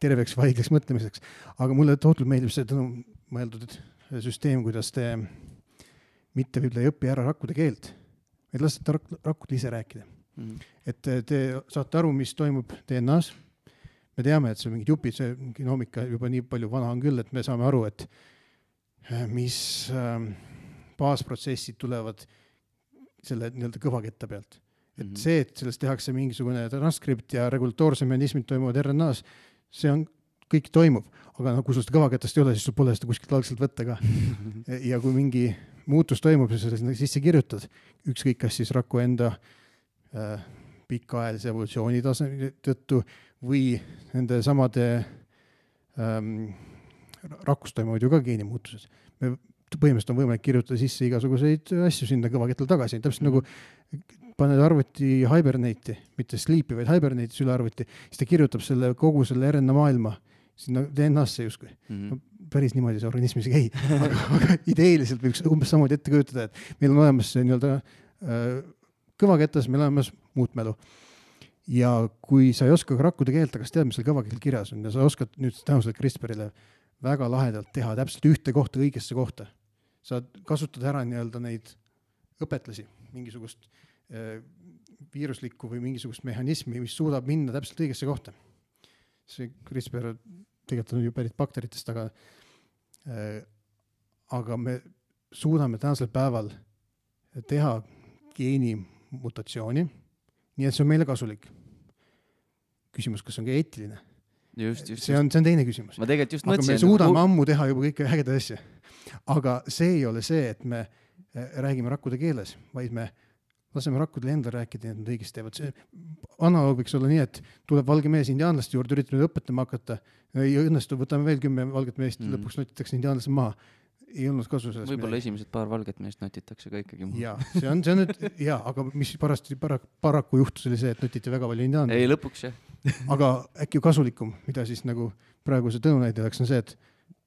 terveks vaigleks mõtlemiseks. Aga mulle tohutult meeldib see mõeldud süsteem, kuidas te mitte võib-olla ei õpi ära rakkude keelt, vaid lasete rakkud ise rääkida. Et te saate aru, mis toimub DNA-s. Me teame, et see on mingid jupid, see genoomika juba nii palju vana on küll, et me saame aru, et mis baasprotsessid tulevad selle nii-öelda kõvaketta pealt. Et see, et sellest tehakse mingisugune transkript ja regulatoorse mehhanismid toimuvad RNA-s, see on, kõik toimub, aga kui sul seda kõvaketast ei ole, siis sul pole seda kuskilt algselt võtta ka. Ja kui mingi muutus toimub, siis sellest sisse kirjutad, ükskõik kas siis raku enda pikaajalise evolutsiooni tõttu või nende samade rakust toimuvad ju ka geenimuutused. Me põhimõtteliselt on võimalik kirjutada sisse igasuguseid asju sinna kõvaketal tagasi. Täpselt nagu paned arvuti hibernate'i, mitte sleep'i, vaid hibernate'i üle arvuti, siis ta kirjutab kogu selle RNA maailma sinna DNA-sse justkui. Päris niimoodi see organismis ei käi. Aga ideeliselt võiks umbes samamoodi ette kujutada, et meil on olemas see nii-öelda kõvaketas, meil on olemas muutmälu. Ja kui sa ei oska rakkude keelt, aga tead, mis seal kõvakeel kirjas on ja sa oskad nüüd tänuselt CRISPRile väga lahedalt teha täpselt ühte kohta õigesse kohta. Sa kasutad ära nii-öelda neid õpetlasi, mingisugust viiruslikku või mingisugust mehhanismi, mis suudab minna täpselt õigesse kohta. See CRISPR tegelikult on ju pärit bakteritest, aga me suudame tänasel päeval teha geenimutatsiooni, nii et see on meile kasulik. Küsimus, kas on ka eetiline? See on teine küsimus. Ma tegelikult just aga mõtlesin. Me suudame ammu teha juba kõike ägeda asja. Aga see ei ole see, et me räägime rakkude keeles, vaid me laseme rakkudele endale rääkida, et nad õigesti teevad. See analoog võiks olla nii, et tuleb valge mees indiaanlaste juurde, üritab nüüd õpetama hakata. Ei õnnestu, võtame veel 10 valget meest, lõpuks notitakse indiaanlased maha. Ei olnud kasu sellest. Võib-olla esimesed paar valget meest notitakse ka ikkagi maha. Jaa, see on nüüd, aga mis paraku juhtus oli see, et notiti väga palju indiaanlasi. Ei, lõpuks jah. Aga äkki kasvalikum, mida siis nagu praegu see tõnunäidjaks on see, et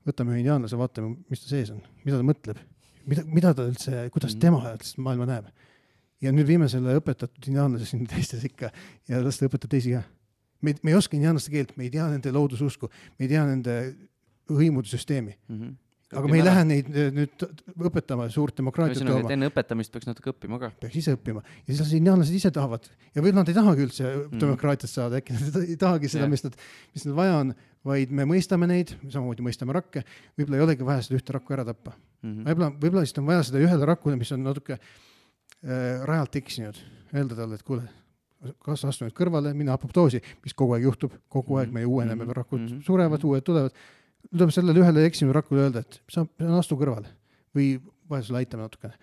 võtame indiaanlase, vaatame, mis ta sees on, mida ta mõtleb, mida ta üldse, kuidas tema maailma näeb. Ja nüüd viime selle õpetatud indiaanlase sinna teistes ikka ja las ta õpetab teisi ka. Me ei oska indiaanlaste keelt, me ei tea nende loodususku, me ei tea nende hõimude süsteemi. Aga me ei lähe neid nüüd õpetama suurt demokraatiat tooma. Enne õpetamist peaks natuke õppima ka. Peaks ise õppima. Ja siis indiaanlased ise tahavad. Ja võib nad ei tahagi üldse demokraatiat saada, äkki nad ei tahagi seda, mis nad vaja on, vaid me mõistame neid, samamoodi mõistame rakke, võib-olla ei olegi vaja seda ühte rakku ära tappa. Võib-olla siis on vaja seda ühele rakkule, mis on natuke rajalt eksinud. Öelda talle, et kuule, kas astu nüüd kõrvale, minna apoptoosi, mis kogu aeg juhtub, kogu aeg meie uueneme, rakud surevad, uued tulevad. Tuleb sellele ühele eksinud rakule öelda, et sa astu kõrvale või vahel sulle aitame natukene.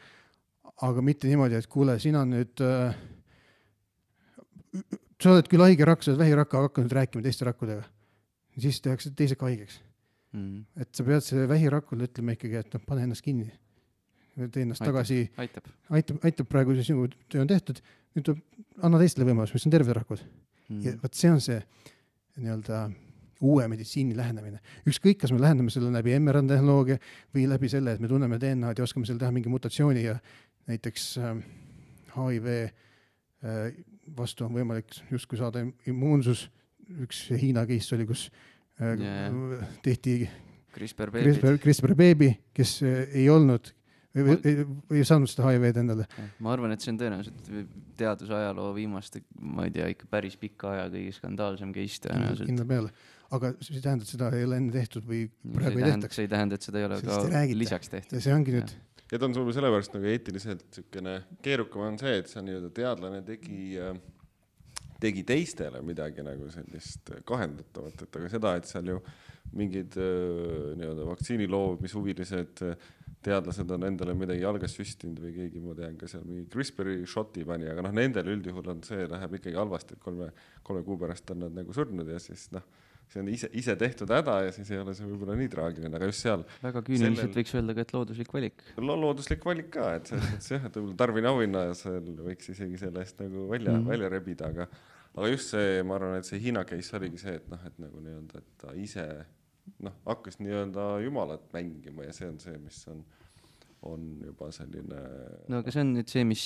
Aga mitte niimoodi, et kuule, sina nüüd sa oled küll haige rakk, sa oled vähirakk, aga hakka nüüd rääkima teiste rakkudega. Siis tehakse teised ka haigeks. Et sa pead selle vähirakule ütlema ikkagi, et pane ennast kinni. Tee ennast tagasi. Aitab praegu, see sinu töö on tehtud. Nüüd anna teistele võimalus, mis on terved rakud. Ja võt see on see nii-öelda uue meditsiini lähenemine. Ükskõik, kas me lähendame selle läbi mRNA-tehnoloogia või läbi selle, et me tunneme DNA-d ja oskame selle teha mingi mutatsiooni ja näiteks HIV vastu on võimalik justkui saada immuunsus. Üks Hiina case oli, kus tehti CRISPR beebi, kes ei olnud ei saanud seda HIV-d endale. Ma arvan, et see on tõenäoliselt teadusajaloo viimaste, ma ei tea, ikka päris pikka aja kõige skandaalsem case tõenäoliselt. Kindla peale. Aga see tähendab, et seda ei ole enne tehtud või praegu ei tehtaks. See ei tähenda, et seda ei ole ka lisaks tehtud. Ja see ongi nüüd. Ja ta on sul sellepärast nagu eetiliselt sükene keerukam on see, et see on teadlane tegi teistele midagi nagu sellist kahendatavat, et aga seda, et seal ju mingid vaktsiini loomishuvilised teadlased on endale midagi jalgas süstinud või keegi, ma tean ka seal mingi CRISPR-i shoti pani, aga nendel üldjuhul on see, läheb ikkagi halvasti, et kolme kuu pärast on nad nagu surnud ja siis see on ise tehtud häda ja siis ei ole see võib-olla nii traagiline, aga just seal väga küüniliselt võiks öelda ka, et looduslik valik. Looduslik valik ka, et võib-olla Tarvin auhinna ja seal võiks isegi selle eest nagu välja rebida, aga just see, ma arvan, et see Hiina case oligi see, et nagu nii-öelda, et ta ise hakkas nii-öelda jumalat mängima ja see on see, mis on juba selline... No aga see on nüüd see, mis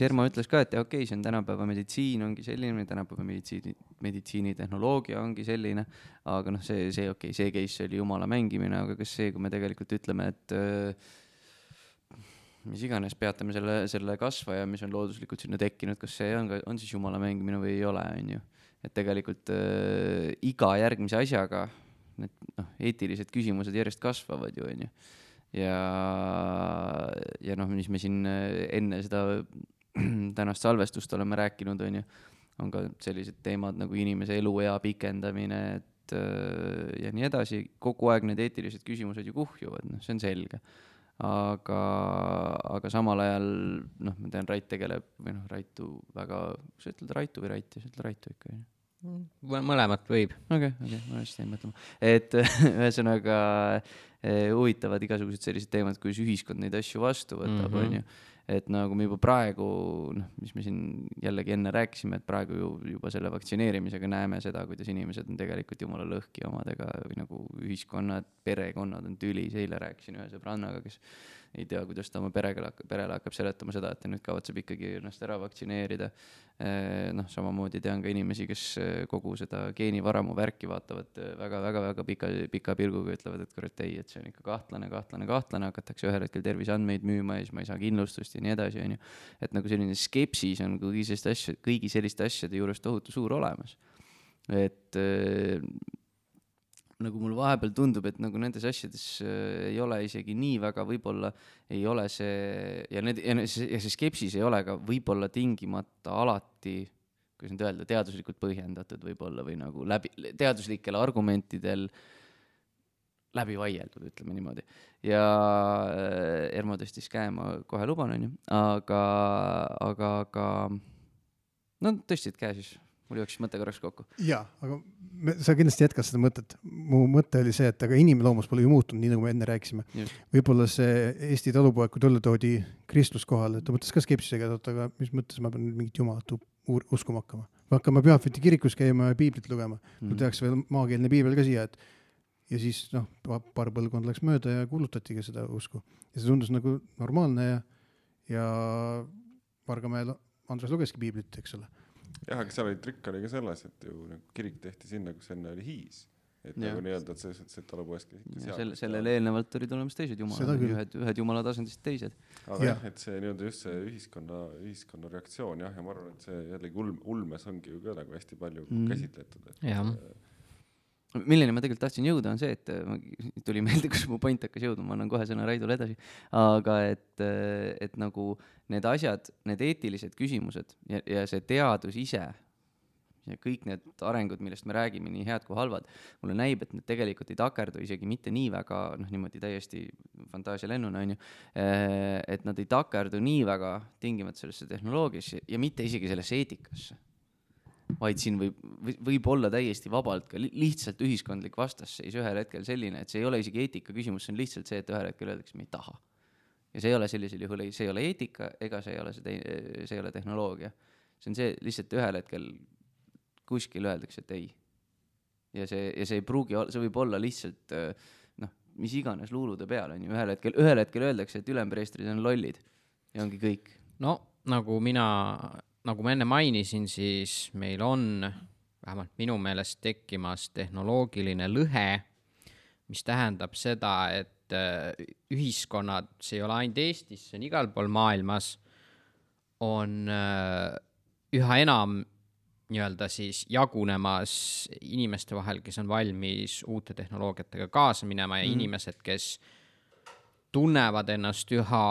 Ermo ütles ka, et okei, see on tänapäeva meditsiin ongi selline, tänapäeva meditsiinitehnoloogia ongi selline, aga see case oli jumala mängimine, aga kas see, kui me tegelikult ütleme, et mis iganes peatame selle kasvaja, mis on looduslikult sinna tekkinud, kas see on siis jumala mängimine või ei ole, on ju. Et tegelikult iga järgmise asjaga need eetilised küsimused järjest kasvavad ju, on ju. Ja mis me siin enne seda tänast salvestust oleme rääkinud, on ju, on ka sellised teemad nagu inimese eluea pikendamine, ja nii edasi. Kogu aeg need eetilised küsimused ju kuhjuvad, see on selge. Aga samal ajal, ma tean, Rait tegeleb, või Raitu väga, sa ütled Raitu või Rait, sa ütled Raitu ikka, on ju? Mõlemat võib. Okei, ma hästi ei mõtlema. Et ühesõnaga huvitavad igasugused sellised teemad, kuidas ühiskond neid asju vastu võtab, on ju. Et nagu me juba praegu, mis me siin jällegi enne rääkisime, et praegu juba selle vaktsineerimisega näeme seda, kuidas inimesed on tegelikult jumala lõhki omadega või nagu ühiskonnad, perekonnad on tülis. Eile rääkisin ühe sõbrannaga, kes ei tea, kuidas ta oma perele hakkab seletama seda, et ta nüüd kavatseb ikkagi ennast ära vaktsineerida. Samamoodi tean ka inimesi, kes kogu seda geenivaramu värki vaatavad väga pika pilguga, ütlevad, et kurat ei, et see on ikka kahtlane, hakatakse ühel hetkel terviseandmeid müüma ja siis ma ei saa kindlustust ja nii edasi, on ju. Et nagu selline skepsis on kõigi selliste asjade juures tohutu suur olemas. Et nagu mul vahepeal tundub, et nagu nendes asjades ei ole isegi nii väga, võib-olla ei ole see, ja see skepsis ei ole ka võib-olla tingimata alati, kuidas nüüd öelda, teaduslikult põhjendatud võib-olla või nagu teaduslikel argumentidel läbi vaieldud, ütleme niimoodi. Ja Ermo tõstis käe, ma kohe luban, on ju, aga tõstsid käe siis. Mul jooksis mõte korraks kokku. Jaa, aga sa kindlasti jätkad seda mõtet. Mu mõte oli see, et aga inimloomus pole ju muutunud, nii nagu me enne rääkisime. Võib-olla see Eesti talupoeg, kui talle toodi kristlus kohale, ta mõtles ka skepsisega, aga mis mõttes ma pean mingit jumalat uskuma hakkama. Või hakkama Pühapäeviti kirikus käima ja piiblit lugema. Mul tehakse veel maakeelne piibel ka siia, ja siis paar põlvkond läks mööda ja kuulutatigi seda usku. Ja see tundus nagu normaalne ja Vargamäel Andres lugeski piiblit, eks ole. Jah, aga seal oli trikk oli ka selles, et ju kirik tehti sinna, kus enne oli hiis. Et nagu nii-öelda, et see talupoeski sellele eelnevalt olid olemas teised jumalad, ühed jumala tasandist teised. Aga jah, et see nii-öelda just see ühiskonna reaktsioon, jah, ja ma arvan, et see jällegi ulmes ongi ju ka nagu hästi palju käsitletud. Milleni ma tegelikult tahtsin jõuda on see, et tuli meelde, kus mu point hakkas jõudma, ma annan kohe sõna Raidule edasi, aga et nagu need asjad, need eetilised küsimused ja see teadus ise ja kõik need arengud, millest me räägime, nii head kui halvad, mulle näib, et need tegelikult ei takerdu isegi mitte nii väga, niimoodi täiesti fantaasia lennuna, on ju, et nad ei takerdu nii väga tingimata sellesse tehnoloogiasse ja mitte isegi sellesse eetikasse. Vaid siin võib olla täiesti vabalt ka lihtsalt ühiskondlik vastasseis ühel hetkel selline, et see ei ole isegi eetika küsimus, see on lihtsalt see, et ühel hetkel öeldakse, me ei taha. Ja see ei ole sellisel juhul, see ei ole eetika ega see ei ole tehnoloogia. See on see lihtsalt ühel hetkel kuskil öeldakse, et ei. Ja see ei pruugi, see võib olla lihtsalt mis iganes luulude peal on ju. Ühel hetkel öeldakse, et ülempreestrid on lollid ja ongi kõik. No nagu mina nagu ma enne mainisin, siis meil on vähemalt minu meelest tekkimas tehnoloogiline lõhe, mis tähendab seda, et ühiskonnad, see ei ole ainult Eestis, see on igal pool maailmas, on üha enam nii-öelda siis jagunemas inimeste vahel, kes on valmis uute tehnoloogiatega kaasa minema ja inimesed, kes tunnevad ennast üha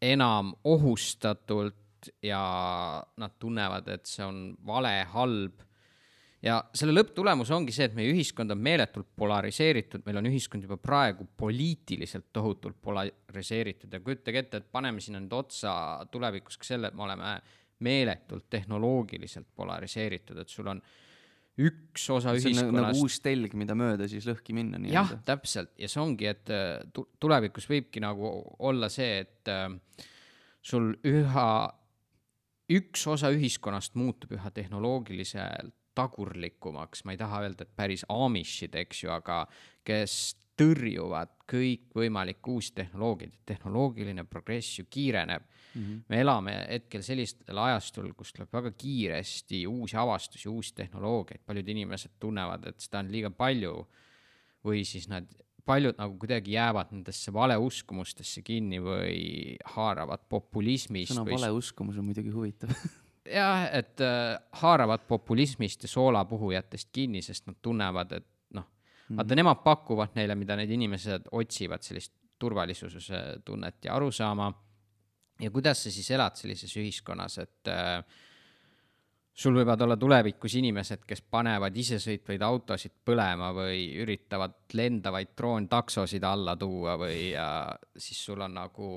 enam ohustatult ja nad tunnevad, et see on vale, halb. Ja selle lõpptulemus ongi see, et meie ühiskond on meeletult polariseeritud, meil on ühiskond juba praegu poliitiliselt tohutult polariseeritud ja kujutage ette, et paneme sinna nüüd otsa tulevikus ka selle, et me oleme meeletult tehnoloogiliselt polariseeritud, et sul on üks osa ühiskonnast. Nagu uus telg, mida mööda siis lõhki minna. Jah, täpselt. Ja see ongi, et tulevikus võibki nagu olla see, et sul üks osa ühiskonnast muutub üha tehnoloogiliselt tagurlikumaks, ma ei taha öelda, et päris Amishid, eks ju, aga kes tõrjuvad kõik võimalik uusi tehnoloogiad, tehnoloogiline progress ju kiireneb. Me elame hetkel sellistel ajastul, kus tuleb väga kiiresti uusi avastusi, uusi tehnoloogiaid, paljud inimesed tunnevad, et seda on liiga palju või siis paljud nagu kuidagi jäävad nendesse valeuskumustesse kinni või haaravad populismist. Sõna valeuskumus on muidugi huvitav. Jah, et haaravad populismist ja soolapuhujatest kinni, sest nad tunnevad, et vaata, nemad pakuvad neile, mida need inimesed otsivad, sellist turvalisuse tunnet ja arusaama. Ja kuidas sa siis elad sellises ühiskonnas, et sul võivad olla tulevikus inimesed, kes panevad isesõitvaid autosid põlema või üritavad lendavaid droontaksosid alla tuua või siis sul on nagu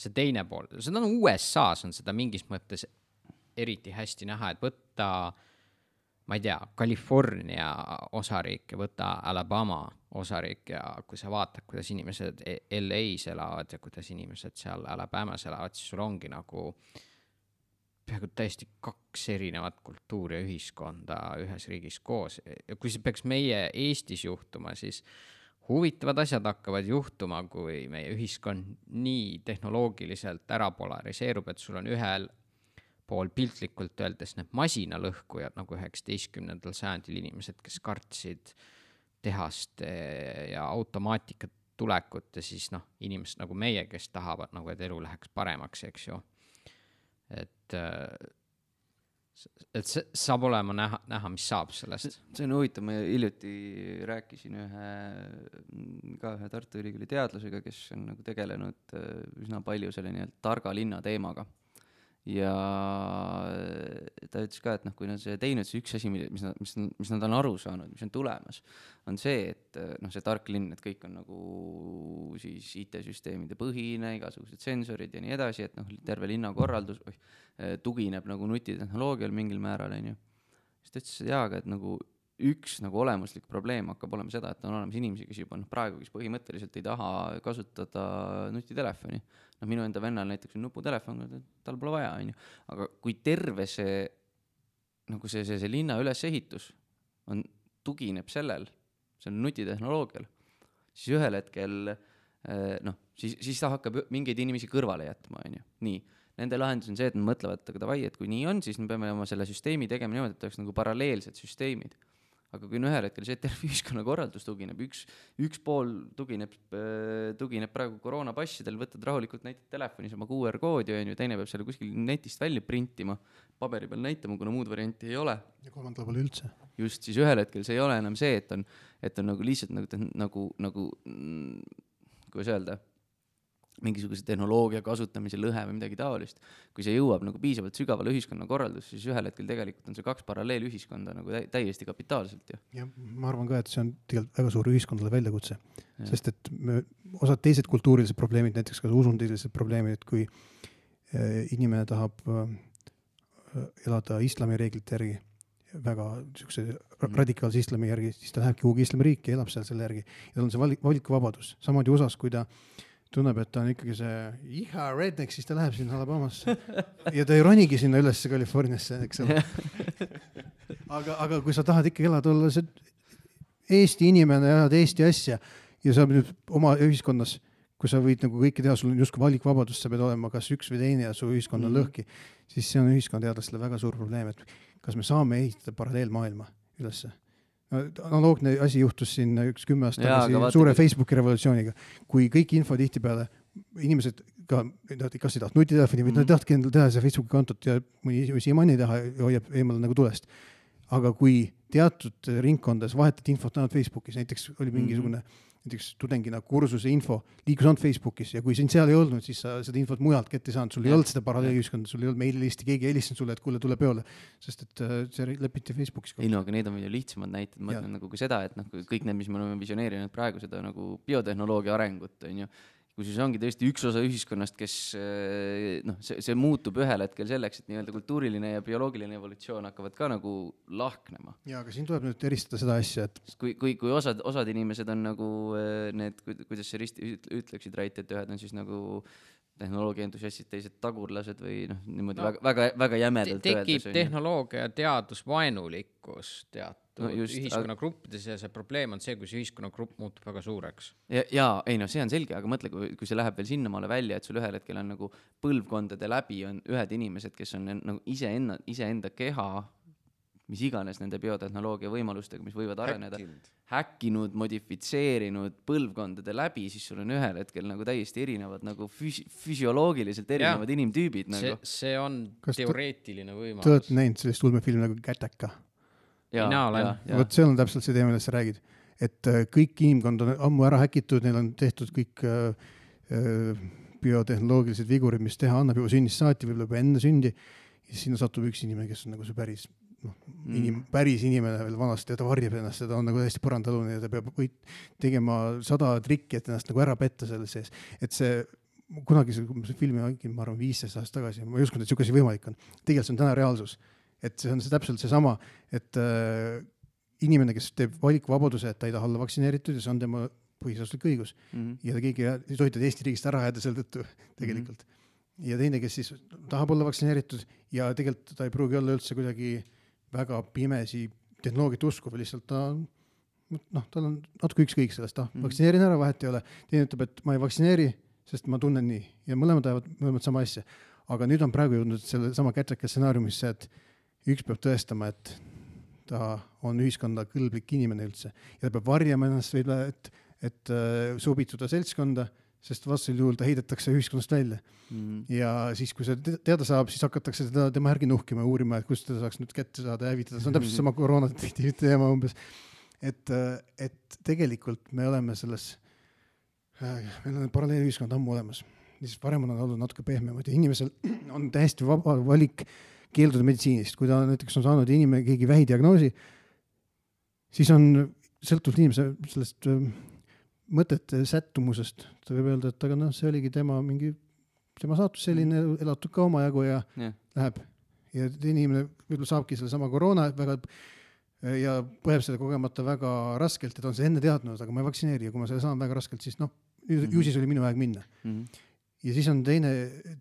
see teine pool. Seda on USA-s on seda mingis mõttes eriti hästi näha, et võtta, ma ei tea, California osariik ja võtta Alabama osariik ja kui sa vaatad, kuidas inimesed LA-s elavad ja kuidas inimesed seal Alabamas elavad, siis sul ongi nagu peaaegu täiesti 2 erinevat kultuuri ja ühiskonda ühes riigis koos. Ja kui see peaks meie Eestis juhtuma, siis huvitavad asjad hakkavad juhtuma, kui meie ühiskond nii tehnoloogiliselt ära polariseerub, et sul on ühel pool piltlikult öeldes need masinalõhkujad nagu 19. sajandil inimesed, kes kartsid tehaste ja automaatika tulekut ja siis inimesed nagu meie, kes tahavad nagu, et elu läheks paremaks, eks ju. Et see saab olema näha, mis saab sellest. See on huvitav, ma hiljuti rääkisin ühe Tartu Ülikooli teadlasega, kes on nagu tegelenud üsna palju selle targa linna teemaga. Ja ta ütles ka, et kui nad see teinud, see üks asi, mis nad on aru saanud, mis on tulemas, on see, et see tark linn, et kõik on nagu siis IT-süsteemide põhine, igasugused sensorid ja nii edasi, et terve linnakorraldus tugineb nagu nutitehnoloogial mingil määral, on ju. Siis ta ütles, et jaaga, et nagu üks nagu olemuslik probleem hakkab olema seda, et on olemas inimesi, kes juba praegu, kes põhimõtteliselt ei taha kasutada nutitelefoni. Minu enda vennal näiteks on nuputelefon, tal pole vaja, on ju. Aga kui terve see linna ülesehitus tugineb sellel nutitehnoloogial, siis ühel hetkel siis ta hakkab mingeid inimesi kõrvale jätma, on ju. Nii, nende lahendus on see, et me mõtlevad, et davai, et kui nii on, siis me peame oma selle süsteemi tegema niimoodi, et oleks nagu paralleelsed süsteemid. Aga kui ühel hetkel see terve ühiskonna korraldus tugineb, üks pool tugineb praegu koroonapassidel, võtad rahulikult näitad telefonis oma QR-koodi, on ju, teine peab selle kuskil netist välja printima, paberi peal näitama, kuna muud varianti ei ole. Ja kolmandal pole üldse. Just, siis ühel hetkel see ei ole enam see, et on nagu lihtsalt nagu kuidas öelda, mingisuguse tehnoloogia kasutamise lõhe või midagi taolist. Kui see jõuab nagu piisavalt sügavale ühiskonna korraldus, siis ühel hetkel tegelikult on see 2 paralleelühiskonda nagu täiesti kapitaalselt. Ja ma arvan ka, et see on tegelikult väga suur ühiskondale väljakutse, sest et osad teised kultuurilised probleemid, näiteks ka usundilised probleemid, et kui inimene tahab elada islami reeglite järgi, väga radikaalse islami järgi, siis ta lähebki kuhugi islamiriiki ja elab seal selle järgi. Ja tal on see valikuvabadus. Samamoodi osas, kui ta tunneb, et ta on ikkagi see redneck, siis ta läheb sinna Alabamasse ja ta ei ronigi sinna ülesse Californiasse, eks ole. aga kui sa tahad ikkagi elada olla see Eesti inimene ja elad Eesti asja ja sa nüüd oma ühiskonnas kui sa võid nagu kõike teha, sul on justkui valikvabadus, sa peed olema kas üks või teine ja su ühiskond on lõhki, siis see on ühiskonnateadlastele väga suur probleem, et kas me saame ehitada paralleelmaailma ülesse. Analoogne asi juhtus siin 10 aastat tagasi suure Facebooki revolutsiooniga, kui kõik info tihtipeale inimesed ka, kas ei taht nutitelefoni või nad tahtki endal teha see Facebooki kontot ja mõni siiamaani teha hoiab eemal nagu tulest. Aga kui teatud ringkondades vahetati infot ainult Facebookis, näiteks oli mingisugune näiteks tudengina kursuse info liikus ainult Facebookis ja kui sind seal ei olnud, siis sa seda infot mujalt kätte ei saanud, sul ei olnud seda paralleelühiskonda, sul ei olnud meililisti, keegi helistanud sulle, et kuule, tule peole, sest et see lepiti Facebookis. Ei no, aga need on veel lihtsamad näited, ma ütlen nagu ka seda, et kõik need, mis me oleme visioneerinud praegu seda nagu biotehnoloogia arengut, on ju, kui siis ongi tõesti üks osa ühiskonnast, kes see muutub ühel hetkel selleks, et nii-öelda kultuuriline ja bioloogiline evolutsioon hakkavad ka nagu lahknema. Ja, aga siin tuleb nüüd eristada seda asja, et kui osad inimesed on nagu need, kuidas see ütleksid Rait, et ühed on siis nagu tehnoloogia entusiastid, teised tagurlased või niimoodi väga jämedalt tekib tehnoloogia teadusvaenulikkus teatud ühiskonnagruppides ja see probleem on see, kui see ühiskonnagrupp muutub väga suureks. See on selge, aga mõtle, kui see läheb veel sinnamaale välja, et sul ühel hetkel on nagu põlvkondade läbi on ühed inimesed, kes on nagu iseenda keha, mis iganes nende biotehnoloogia võimalustega, mis võivad areneda, häkkinud, modifitseerinud põlvkondade läbi, siis sul on ühel hetkel nagu täiesti erinevad nagu füsioloogiliselt erinevad inimtüübid. See on teoreetiline võimalus. Te olete näinud sellist ulmefilmi nagu Gattaca? Mina olen. Vot see on täpselt see teema, millest sa räägid. Et kõik inimkond on ammu ära häkitud, neil on tehtud kõik biotehnoloogilised vigurid, mis teha annab juba sünnist saati, võib-olla enne sündi. Ja sinna satub üks inimene, kes on nagu see päris inimene veel vanasti ja ta varjab ennast ja ta on nagu täiesti põrandalune ja ta peab tegema 100 trikki, et ennast nagu ära petta selle sees. Et see kunagi see filmi, ma arvan 15 aastat tagasi, ma ei uskunud, et siukesi võimalik on. Tegelikult see on täna reaalsus. Et see on täpselt see sama, et inimene, kes teeb valikvabaduse, et ta ei taha olla vaktsineeritud ja see on tema põhiseaduslik õigus. Ja ta keegi ei tohitud Eesti riigist ära jääda selle tõttu tegelikult. Ja teine, kes siis tahab olla vaktsineeritud ja tegelikult ta ei pruugi olla üldse kuidagi väga pimesi tehnoloogiat usku või lihtsalt tal on natuke ükskõik sellest, vaktsineerin ära, vahet ei ole. Teine ütleb, et ma ei vaktsineeri, sest ma tunnen nii ja mõlemad sama asja. Aga nüüd on praegu jõudnud selle sama Gattaca stsenaariumisse, et üks peab tõestama, et ta on ühiskonda kõlblik inimene üldse ja ta peab varjama ennast või et sobituda seltskonda, sest vastasel juhul ta heidetakse ühiskonnast välja. Ja siis, kui see teada saab, siis hakatakse tema järgi nuhkima ja uurima, et kust ta saaks nüüd kätte saada ja hävitada. See on täpselt sama koroonadetektiivi teema umbes. Et tegelikult me oleme selles, meil on paralleelühiskond ammu olemas. Siis varem on olnud natuke pehmemad ja inimesel on täiesti vaba valik keelduda meditsiinist. Kui ta näiteks on saanud inimene keegi vähidiagnoosi, siis on sõltuvalt inimese sellest mõtete sättumusest. Ta võib öelda, et aga see oligi tema saatus selline, elatud ka oma jagu ja läheb. Ja inimene võib-olla saabki selle sama koroona ja põeb selle kogemata väga raskelt, et on see enne teadnud, aga ma ei vaktsineeri ja kui ma selle saan väga raskelt, siis ju siis oli minu aeg minna. Ja siis on teine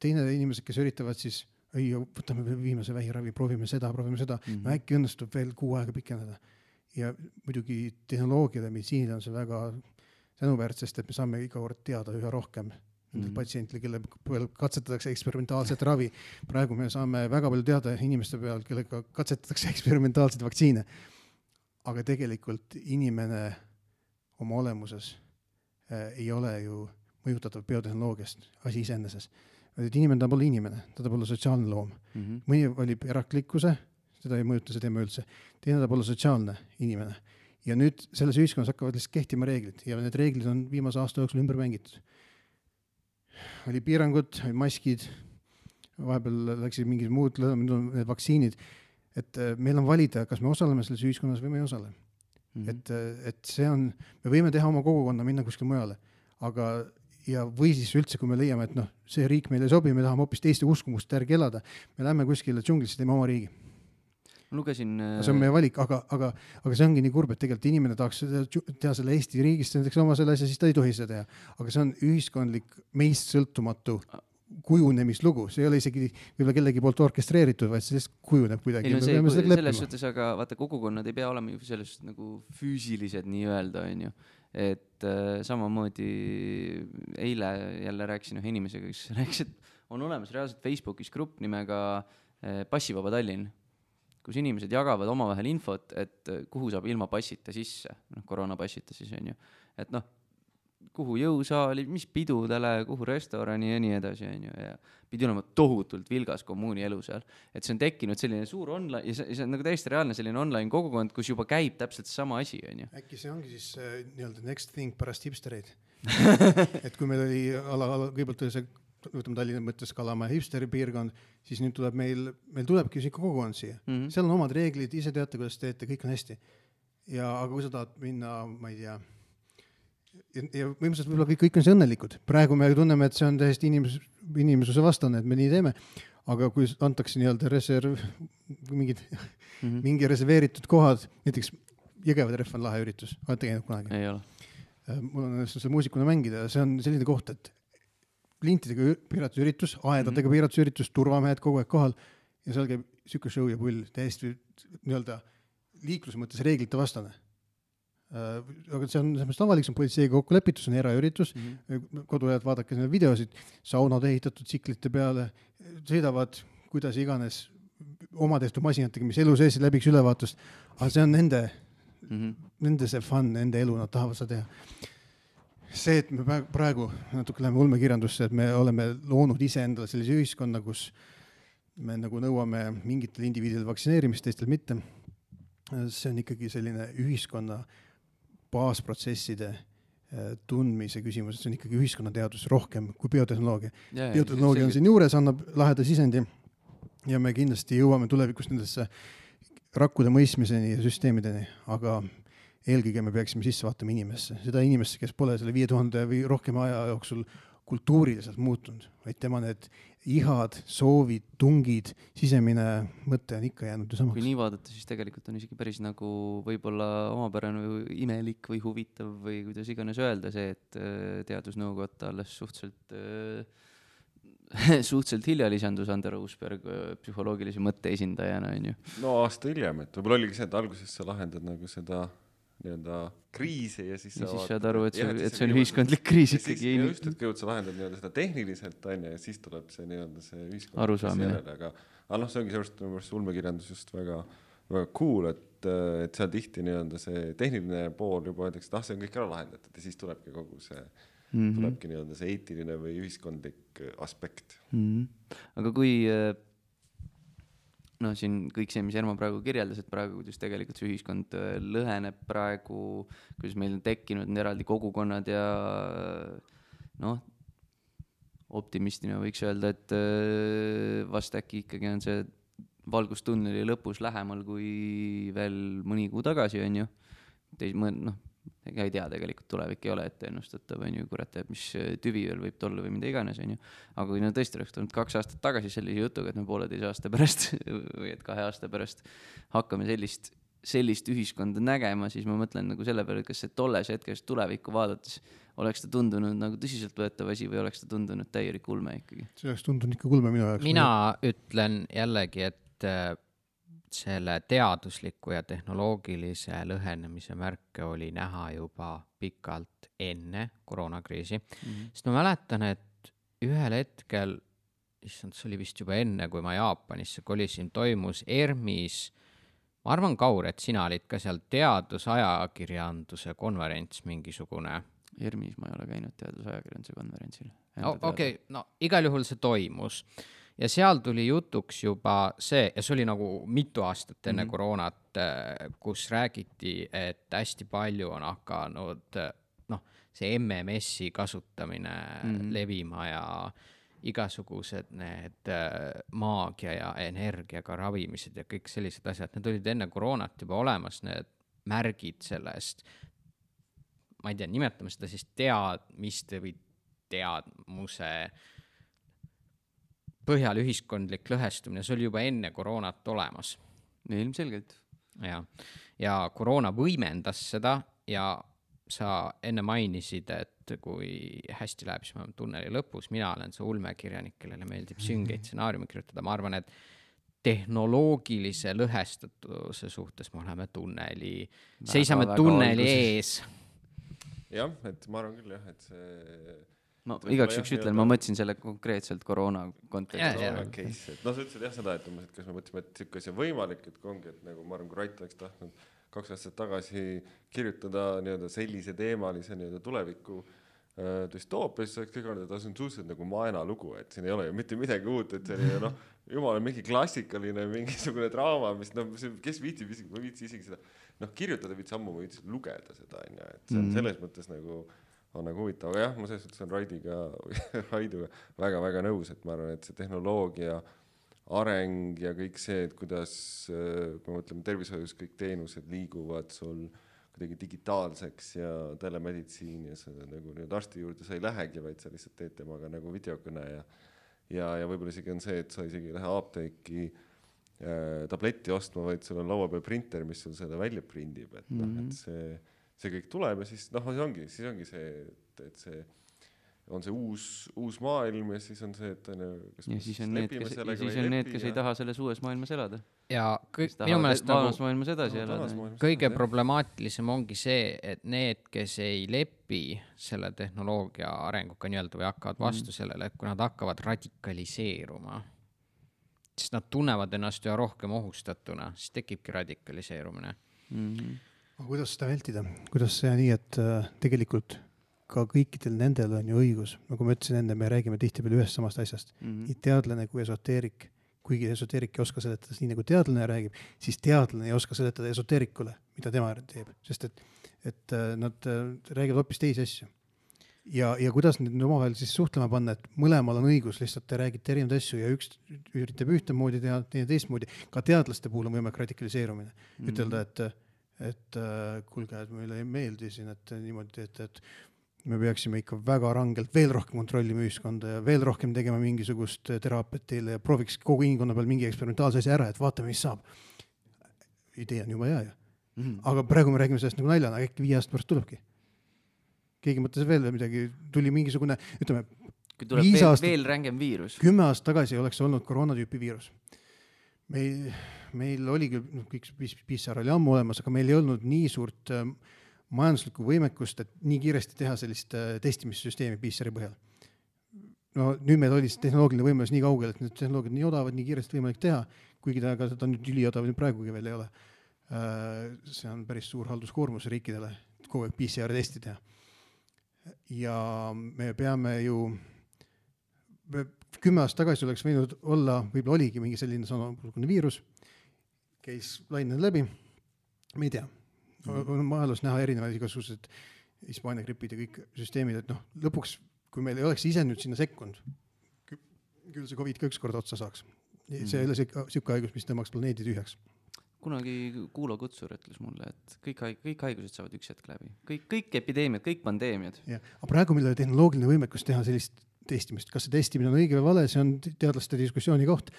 inimesed, kes üritavad siis võtame viimase vähiravi, proovime seda. No äkki õnnestub veel 6 aega pikendada. Ja muidugi tehnoloogiale, meditsiinile on see väga tänuväärt, sest et me saame iga kord teada üha rohkem patsientile, kelle katsetatakse eksperimentaalset ravi. Praegu me saame väga palju teada inimeste peal, kellega katsetatakse eksperimentaalseid vaktsiine. Aga tegelikult inimene oma olemuses ei ole ju mõjutatav biotehnoloogiast asi iseeneses. Inimene ta pole inimene, ta pole sotsiaalne loom. Mõni valib eraklikkuse, seda ei mõjuta see teema üldse. Teine ta pole sotsiaalne inimene. Ja nüüd selles ühiskonnas hakkavad lihtsalt kehtima reeglid ja need reeglid on viimase aasta jooksul ümber mängitud. Oli piirangud, oli maskid, vahepeal läksid mingid muud need vaktsiinid, et meil on valida, kas me osaleme selles ühiskonnas või me ei osale. Et see on, me võime teha oma kogukonna, minna kuskil mujale, aga või siis üldse, kui me leiame, et see riik meile ei sobi, me tahame hoopis teiste uskumust järgi elada, me lähme kuskile džunglisse, teeme oma riigi. Lugesin... See on meie valik, aga see ongi nii kurb, et tegelikult inimene tahaks teha selle Eesti riigist, näiteks oma selle asja, siis ta ei tohi seda teha. Aga see on ühiskondlik meist sõltumatu kujunemislugu, see ei ole isegi võib-olla kellegi poolt orkestreeritud, vaid see kujuneb kuidagi. Selles suhtes, aga vaata, kogukonnad ei pea olema ju selles nagu füüsilised nii öelda, on ju. et samamoodi eile jälle rääkisin ühe inimesega, kes rääkis, et on olemas reaalselt Facebookis grupp nimega Passivaba Tallinn, kus inimesed jagavad omavahel infot, et kuhu saab ilma passita sisse, koroonapassita siis on ju, et kuhu jõusaali, mis pidudele, kuhu restorani ja nii edasi on ju, ja pidi olema tohutult vilgas kommuuni elu seal, et see on tekkinud selline suur online ja see on nagu täiesti reaalne selline online kogukond, kus juba käib täpselt sama asi on ju. Äkki see ongi siis nii-öelda next thing pärast hipstereid et kui meil oli kõigepealt oli see, võtame Tallinna mõttes Kalamaja hipsteri piirkond, siis nüüd tuleb meil tulebki ikka kogukond siia. Seal on omad reeglid, ise teate, kuidas teete, kõik on hästi. Aga kui sa tahad minna, ma ei tea, ja võimsalt võib-olla kõik on see õnnelikud. Praegu me tunneme, et see on täiesti inimesuse vastane, et me nii teeme. Aga kui antakse nii-öelda mingi reserveeritud kohad, näiteks Jõgeva trehv on lahe üritus, olete käinud kunagi? Ei ole. Mul on selle muusikuna mängida, see on selline koht, et lintidega piiratud üritus, aedadega piiratud üritus, turvamehed kogu aeg kohal ja seal käib siuke show ja pull, täiesti nii-öelda liikluse mõttes reeglite vastane. Aga see on avalik, see on politseiga kokku lepitud, see on eraüritus, kodulehelt vaadake need videosid, saunad ehitatud tsiklite peale, sõidavad kuidas iganes oma tehtud masinatega, mis elu sees läbiks ülevaatust, aga see on nende see fun, nende elu, nad tahavad seda teha. See, et me praegu natuke läheme ulmekirjandusse, et me oleme loonud ise endale sellise ühiskonna, kus me nagu nõuame mingitel indiviididel vaktsineerimist, teistel mitte. See on ikkagi selline ühiskonna baasprotsesside tundmise küsimus, see on ikkagi ühiskonnateadus rohkem kui biotehnoloogia. Biotehnoloogia on siin juures, annab laheda sisendi ja me kindlasti jõuame tulevikus nendesse rakkude mõistmiseni ja süsteemideni, aga eelkõige me peaksime sisse vaatama inimesse. Seda inimesse, kes pole selle 5000 või rohkem aja jooksul kultuuriliselt muutunud, vaid tema need ihad, soovid, tungid, sisemine mõte on ikka jäänud ju samaks. Kui nii vaadata, siis tegelikult on isegi päris nagu võib-olla omapärane või imelik või huvitav või kuidas iganes öelda see, et teadusnõukotta alles suhteliselt hilja lisandus Ander Uusberg psühholoogilise mõtte esindajana, on ju. No aasta hiljem, et võib-olla oligi see, et alguses sa lahendad nagu seda nii-öelda kriisi ja siis saad aru, et see on ühiskondlik kriis ikkagi. Ja just, et kõigepealt sa lahendad nii-öelda seda tehniliselt on ja siis tuleb see nii-öelda see ühiskondlik arusaamine. Aga see ongi sellest ulmekirjandus just väga, väga cool, et seal tihti nii-öelda see tehniline pool juba öeldakse, et see on kõik ära lahendatud ja siis tulebki kogu see tulebki nii-öelda see eetiline või ühiskondlik aspekt. Aga kui siin kõik see, mis Ermo praegu kirjeldas, et praegu, kuidas tegelikult see ühiskond lõheneb praegu, kuidas meil on tekkinud eraldi kogukonnad ja optimistina võiks öelda, et vast äkki ikkagi on see valgustunneli lõpus lähemal kui veel mõni kuu tagasi, on ju. Ega ei tea, tegelikult tulevik ei ole ette ennustatav, on ju, kurat, mis tüvi veel võib tolla või mida iganes, on ju. Aga kui tõesti oleks tulnud 2 aastat tagasi sellise jutuga, et me 1,5 aasta pärast või et 2 aasta pärast hakkame sellist ühiskonda nägema, siis ma mõtlen nagu selle peale, kas see tolles hetkes tulevikku vaadates oleks ta tundunud nagu tõsiseltvõetav asi või oleks ta tundunud täielik ulme ikkagi? See oleks tundunud ikka ulme minu jaoks. Mina ütlen jällegi, et selle teadusliku ja tehnoloogilise lõhenemise märke oli näha juba pikalt enne koroonakriisi. Sest ma mäletan, et ühel hetkel, see oli vist juba enne, kui ma Jaapanisse kolisin, toimus ERMis, ma arvan, Kaur, et sina olid ka seal teadusajakirjanduse konverents mingisugune. ERMis ma ei ole käinud teadusajakirjanduse konverentsil. Okei, igal juhul see toimus. Ja seal tuli jutuks juba see, ja see oli nagu mitu aastat enne koroonat, kus räägiti, et hästi palju on hakanud see MMS-i kasutamine levima ja igasugused need maagia ja energiaga ravimised ja kõik sellised asjad. Need olid enne koroonat juba olemas, need märgid sellest, ma ei tea, nimetame seda siis teadmiste või teadmuse põhjal ühiskondlik lõhestumine, see oli juba enne koroonat olemas. Ilmselgelt. Ja koroona võimendas seda ja sa enne mainisid, et kui hästi läheb, siis me oleme tunneli lõpus, mina olen see ulmekirjanik, kellele meeldib süngeid stsenaariumi kirjutada. Ma arvan, et tehnoloogilise lõhestatuse suhtes me oleme seisame tunneli ees. jah, et ma arvan küll jah, et see ma igaks juks ütlen, ma mõtlesin selle konkreetselt koroona kontekstis. Case, et sa ütlesid jah seda, et kas me mõtleme, et siuke asi on võimalik, et ongi, et nagu ma arvan, kui Rait oleks tahtnud 2 aastat tagasi kirjutada nii-öelda sellise teemalise nii-öelda tuleviku düstoopia, siis oleks kõik olnud, et see on suhteliselt nagu maena lugu, et siin ei ole ju mitte midagi uut, et see on jumal mingi klassikaline mingisugune draama, mis kes viitsib isegi, ma viitsi isegi seda kirjutada, viitsi ammu, ma viitsi lugeda seda, et see on selles mõttes nagu on nagu huvitav, aga jah, ma selles mõttes on Raiduga väga-väga nõus, et ma arvan, et see tehnoloogia areng ja kõik see, et kuidas, kui me mõtleme tervishoius, kõik teenused liiguvad sul kuidagi digitaalseks ja telemeditsiin ja see nagu nüüd arsti juurde sa ei lähegi, vaid sa lihtsalt teed temaga nagu videokõne ja võib-olla isegi on see, et sa isegi ei lähe apteeki tabletti ostma, vaid sul on laua peal printer, mis sul seda välja prindib, et et see kõik tuleb ja siis siis ongi see, et see on see uus maailm ja siis on see, et ja siis on need, kes ei taha selles uues maailmas elada. Ja minu meelest vaanas maailmas edasi elada. Kõige problemaatilisem ongi see, et need, kes ei lepi selle tehnoloogia arenguga nii-öelda või hakkavad vastu sellele, et kui nad hakkavad radikaliseeruma, siis nad tunnevad ennast üha rohkem ohustatuna, siis tekibki radikaliseerumine. Aga kuidas seda vältida? Kuidas see nii, et tegelikult ka kõikidel nendel on ju õigus, nagu ma ütlesin enne, me räägime tihtipeale ühest samast asjast. Nii teadlane kui esoteerik, kuigi esoteerik ei oska seletada nii nagu teadlane räägib, siis teadlane ei oska seletada esoteerikule, mida tema teeb, sest et nad räägivad hoopis teisi asju. Ja kuidas need omavahel siis suhtlema panna, et mõlemal on õigus, lihtsalt te räägite erinevaid asju ja üks üritab ühtemoodi teha, teine teistmoodi. Ka teadlaste puhul on võimalik radikaliseerumine. Ütelda, et kuulge, et meile ei meeldi siin, et niimoodi teete, et me peaksime ikka väga rangelt veel rohkem kontrollima ühiskonda ja veel rohkem tegema mingisugust teraapiat teile ja prooviks kogu inimkonna peal mingi eksperimentaalse asja ära, et vaatame, mis saab. Idee on juba hea ja. Aga praegu me räägime sellest nagu naljana, äkki 5 aastat pärast tulebki. Keegi mõtles veel midagi, tuli mingisugune, ütleme, kui tuleb veel rängem viirus. 10 aastat tagasi oleks olnud koroonatüüpi viirus. Meil oli küll, kõik PCR oli ammu olemas, aga meil ei olnud nii suurt majanduslikku võimekust, et nii kiiresti teha sellist testimissüsteemi PCR-i põhjal. No nüüd meil oli tehnoloogiline võimalus nii kaugel, et need tehnoloogiad nii odavad, nii kiiresti võimalik teha, kuigi ta aga seda nüüd üliodav praegugi veel ei ole. See on päris suur halduskoormus riikidele, kogu aeg PCR-testi teha. Ja me peame ju 10 aastat tagasi oleks võinud olla, võib-olla oligi mingi selline samasugune viirus, käis lained läbi, me ei tea. On maailmas näha erinevaid igasugused Hispaania gripid ja kõik süsteemid, et lõpuks, kui meil ei oleks ise nüüd sinna sekkunud, küll see COVID ka ükskord otsa saaks. See ei ole siuke haigus, mis tõmbaks planeedi tühjaks. Kunagi Kuulo Kutsur ütles mulle, et kõik haigused saavad üks hetk läbi. Kõik epideemiad, kõik pandeemiad. Ja, aga praegu meil oli tehnoloogiline võimekus teha sellist testimist. Kas see testimine on õige või vale, see on teadlaste diskussiooni koht.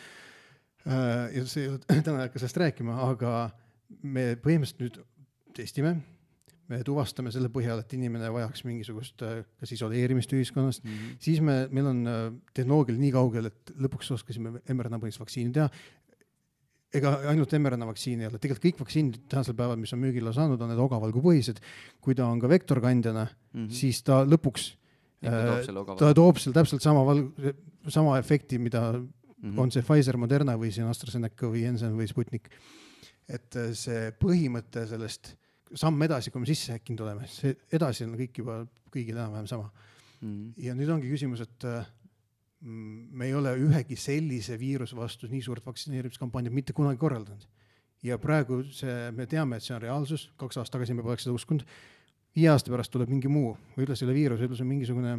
Ja see ei ole täna hakka sellest rääkima, aga me põhimõtteliselt nüüd testime, me tuvastame selle põhjal, et inimene vajaks mingisugust kas isoleerimist ühiskonnast, siis meil on tehnoloogil nii kaugel, et lõpuks oskasime mRNA-põhist vaktsiini teha. Ega ainult mRNA-vaktsiini ei ole. Tegelikult kõik vaktsiinid tänasel päeval, mis on müügile saanud, on need ogavalgu põhised. Kui ta on ka vektorkandjana, siis ta lõpuks ta toob seal täpselt sama efekti, mida on see Pfizer, Moderna või see AstraZeneca või Janssen või Sputnik. Et see põhimõte sellest samm edasi, kui me sisse häkkinud oleme, see edasi on kõik juba kõigil enam-vähem sama. Ja nüüd ongi küsimus, et me ei ole ühegi sellise viiruse vastu nii suurt vaktsineerimiskampaaniat mitte kunagi korraldanud. Ja praegu me teame, et see on reaalsus. 2 aastat tagasi me poleks seda uskunud. 5 aasta pärast tuleb mingi muu, võib-olla selle viirus, võib-olla see on mingisugune,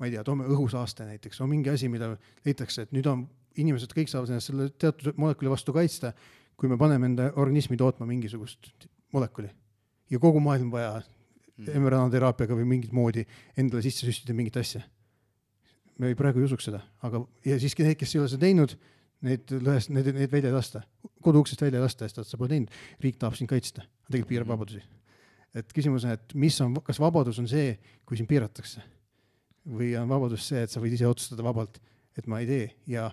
ma ei tea, toome õhusaaste näiteks, on mingi asi, mida leitakse, et nüüd on inimesed kõik saavad ennast selle teatud molekuli vastu kaitsta, kui me paneme enda organismi tootma mingisugust molekuli. Ja kogu maailm vaja mRNA-teraapiaga või mingit moodi endale sisse süstida mingit asja. Me praegu ei usuks seda, aga ja siiski need, kes ei ole seda teinud, need välja ei lasta. Koduuksest välja ei lasta, sest sa pole teinud. Riik tahab sind kaitsta, tegelikult piirab vabadusi. Et küsimus on, et kas vabadus on see, kui siin piiratakse? Või on vabadus see, et sa võid ise otsustada vabalt, et ma ei tee. Ja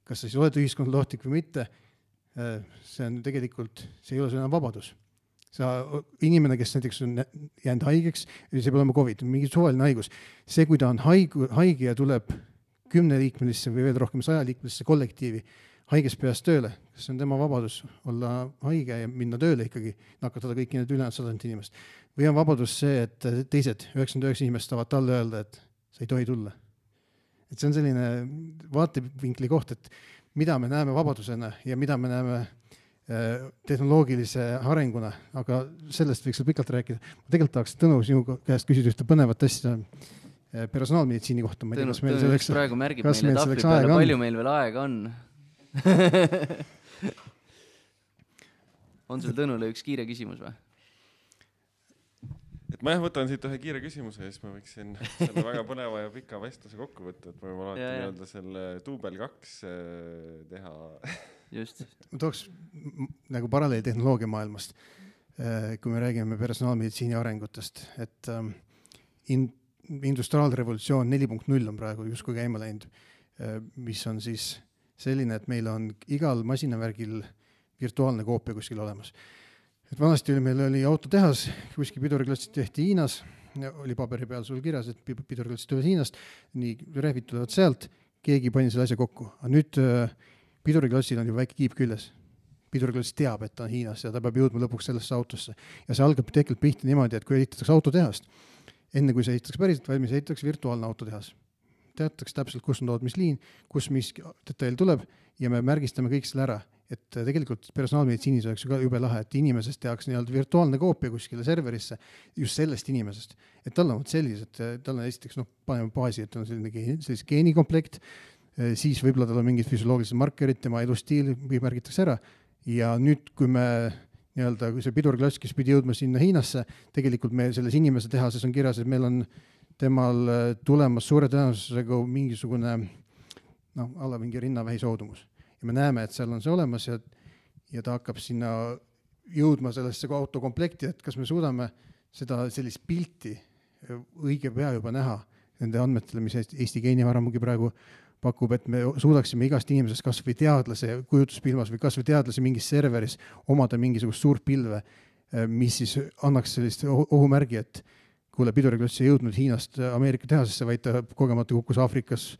kas sa siis oled ühiskond lohtlik või mitte, see on tegelikult, see ei ole enam vabadus. inimene, kes näiteks on jäänud haigeks, see peab olema COVID, mingi suvaline haigus. See, kui ta on haige ja tuleb 10-liikmelisse või veel rohkem 100-liikmelisse kollektiivi haiges peas tööle, kas see on tema vabadus olla haige ja minna tööle ikkagi, nakatada kõiki need ülejäänud 100 inimest. Või on vabadus see, et teised 99 inimest saavad talle öelda, et sa ei tohi tulla. Et see on selline vaatevinkli koht, et mida me näeme vabadusena ja mida me näeme tehnoloogilise arenguna, aga sellest võiks pikalt rääkida. Ma tegelikult tahaks Tõnu sinu käest küsida ühte põnevat asja personaalmeditsiini kohta. Tõnu just praegu märgib meile tahvli peale, palju meil veel aega on. On sul Tõnule üks kiire küsimus või? Et ma võtan siit ühe kiire küsimuse ja siis ma võiksin selle väga põneva ja pika vestluse kokku võtta, et ma võin alati nii-öelda selle duubel 2 teha. Just. Ma tooks nagu paralleeltehnoloogia maailmast, kui me räägime personaalmeditsiini arengutest, et industriaalrevolutsioon 4.0 on praegu justkui käima läinud, mis on siis selline, et meil on igal masinavärgil virtuaalne koopia kuskil olemas. Et vanasti meil oli autotehas, kuskil piduriklassid tehti Hiinas, oli paberi peal sul kirjas, et piduriklassid tulevad Hiinast, nii rehvid tulevad sealt, keegi pani selle asja kokku. Aga nüüd piduriklassil on ju väike kiip küljes. Piduriklass teab, et ta on Hiinas ja ta peab jõudma lõpuks sellesse autosse. Ja see algab tegelikult pihta niimoodi, et kui ehitatakse autotehast, enne kui see ehitatakse päriselt valmis, ehitatakse virtuaalne autotehas. Teatakse täpselt, kus on tood mis liin, kus mis detail tuleb ja me märgistame kõik selle ära. Et tegelikult personaalmeditsiinis oleks ju ka jube lahe, et inimesest tehakse nii-öelda virtuaalne koopia kuskile serverisse just sellest inimesest. Et tal on sellised, tal on esiteks, paneme baasi, et on selline geenikomplekt, siis võib-olla tal on mingid füsioloogilised markerid, tema elustiil märgitakse ära. Ja nüüd, kui me nii-öelda, kui see pidurklass, kes pidi jõudma sinna Hiinasse, tegelikult me selles inimese tehases on kirjas, et meil on temal tulemas suure tõenäosusega mingisugune alla mingi rinnavähi soodumus. Ja me näeme, et seal on see olemas ja ta hakkab sinna jõudma sellesse autokomplekti, et kas me suudame seda sellist pilti õige pea juba näha nende andmetele, mis Eesti geenivaramugi praegu pakub, et me suudaksime igast inimesest kas või teadlase kujutuspilmas või kas või teadlase mingis serveris omada mingisugust suurt pilve, mis siis annaks sellist ohumärgi, et kuule, piduriklass ei jõudnud Hiinast Ameerika tehasesse, vaid ta kogemata kukkus Aafrikas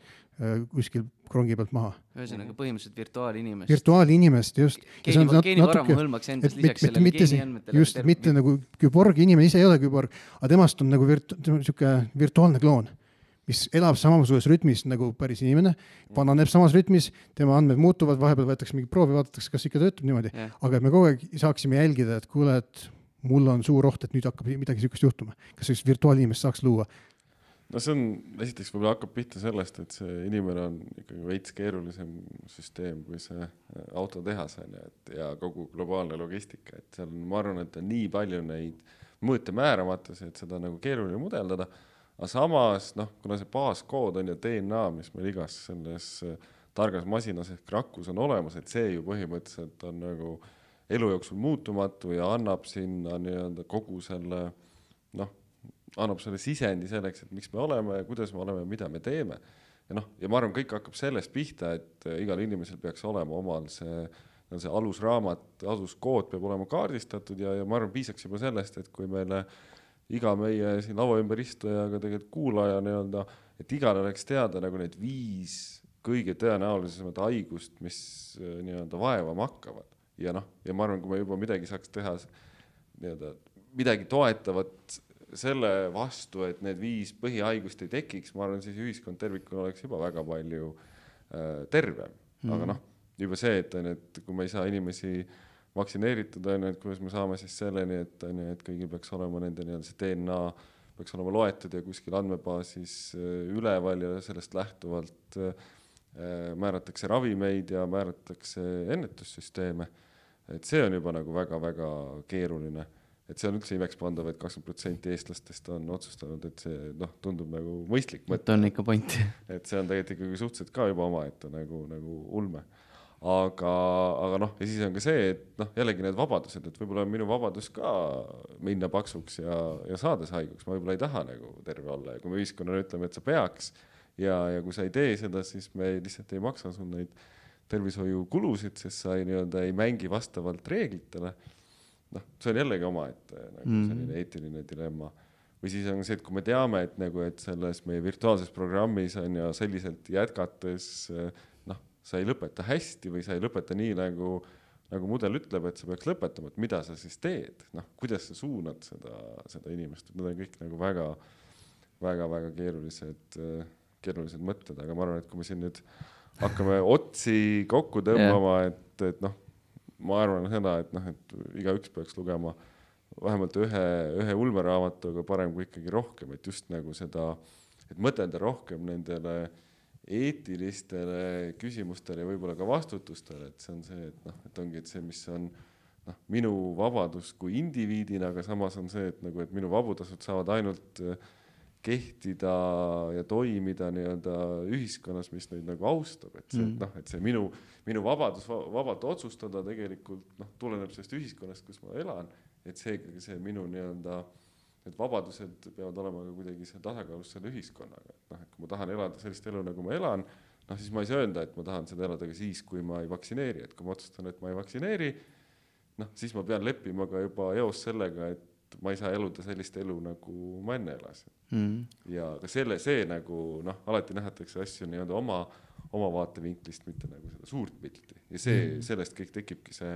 kuskil krongi pealt maha. Ühesõnaga põhimõtteliselt virtuaalinimest. Virtuaalinimest, just. Geenivaramu hõlmaks endast lisaks sellele geeniandmetele. Just, mitte nagu küborg, inimene ise ei ole küborg, aga temast on nagu virtuaalne kloon, mis elab samasuguses rütmis nagu päris inimene, vananeb samas rütmis, tema andmed muutuvad, vahepeal võetakse mingi proovi, vaadatakse, kas ikka töötab niimoodi. Aga et me kogu aeg saaksime jälgida, et kuule, et mul on suur oht, et nüüd hakkab midagi sükust juhtuma. Kas sellist virtuaalinimest saaks luua? No see on, esiteks võib-olla hakkab pihta sellest, et see inimene on ikkagi veits keerulisem süsteem kui see autotehas ja kogu globaalne logistika. Et seal on, ma arvan, et on nii palju neid mõõte määramatusi, et seda nagu keeruline mudeldada. Aga samas, kuna see baaskood on ja DNA, mis meil igas selles targas masinas ehk rakus on olemas, et see ju põhimõtteliselt on nagu elu jooksul muutumatu ja annab sinna nii-öelda kogu selle, annab selle sisendi selleks, et miks me oleme ja kuidas me oleme ja mida me teeme. Ja ma arvan, kõik hakkab sellest pihta, et igal inimesel peaks olema omal see alusraamat, aluskood peab olema kaardistatud ja ma arvan, piisaks juba sellest, et kui meile iga meie siin laua ümber istujaga tegelikult kuulaja nii-öelda, et igal oleks teada nagu need 5 kõige tõenäolisemat haigust, mis nii-öelda vaevama hakkavad. Ja ma arvan, kui me juba midagi saaks teha nii-öelda midagi toetavat selle vastu, et need 5 põhihaigust ei tekiks, ma arvan, siis ühiskond tervikuna oleks juba väga palju tervem. Aga juba see, et kui me ei saa inimesi vaktsineeritud, et kuidas me saame siis selleni, et kõigil peaks olema nende see DNA peaks olema loetud ja kuskil andmebaasis üleval ja sellest lähtuvalt määratakse ravimeid ja määratakse ennetussüsteeme. Et see on juba nagu väga-väga keeruline. Et see on üldse imekspandav, et 20% eestlastest on otsustanud, et see tundub nagu mõistlik mõte. On ikka point. Et see on tegelikult ikkagi suhteliselt ka juba oma, et nagu ulme. Aga ja siis on ka see, et jällegi need vabadused, et võib-olla on minu vabadus ka minna paksuks ja saades haiguks. Ma võib-olla ei taha nagu terve olla ja kui me ühiskonnale ütleme, et sa peaks ja kui sa ei tee seda, siis me lihtsalt ei maksa sul neid tervishoiukulusid, sest sa ei mängi vastavalt reeglitele. noh, see on jällegi omaette nagu selline eetiline dilemma. Või siis on see, et kui me teame, et nagu, et selles meie virtuaalses programmis on ja selliselt jätkates, noh, sa ei lõpeta hästi või sa ei lõpeta nii, nagu mudel ütleb, et sa peaks lõpetama, et mida sa siis teed, noh, kuidas sa suunad seda inimest, et need on kõik nagu väga keerulised mõtted, aga ma arvan, et kui me siin nüüd hakkame otsi kokku tõmbama, et noh, ma arvan seda, et noh, et igaüks peaks lugema vähemalt ühe ulmeraamatu, aga parem kui ikkagi rohkem, et just nagu seda, et mõtelda rohkem nendele eetilistele küsimustele ja võib-olla ka vastutustele, et see on see, et noh, et ongi, et see, mis on noh, minu vabadus kui indiviidina, aga samas on see, et nagu, et minu vabadused saavad ainult kehtida ja toimida nii-öelda ühiskonnas, mis neid nagu austab, et see, noh, et see minu vabadus vabalt otsustada tegelikult noh, tuleneb sellest ühiskonnast, kus ma elan, et see minu nii-öelda, et vabadused peavad olema ka kuidagi see tasakaalus selle ühiskonnaga, et noh, et kui ma tahan elada sellist elu, nagu ma elan, noh, siis ma ei saa öelda, et ma tahan seda elada ka siis, kui ma ei vaktsineeri, et kui ma otsustan, et ma ei vaktsineeri, noh, siis ma pean leppima ka juba eos sellega, et ma ei saa eluda sellist elu, nagu ma enne elasin. Ja ka see nagu, noh, alati nähatakse asju nii-öelda oma vaatevinklist, mitte nagu seda suurt pilti. Ja sellest kõik tekibki see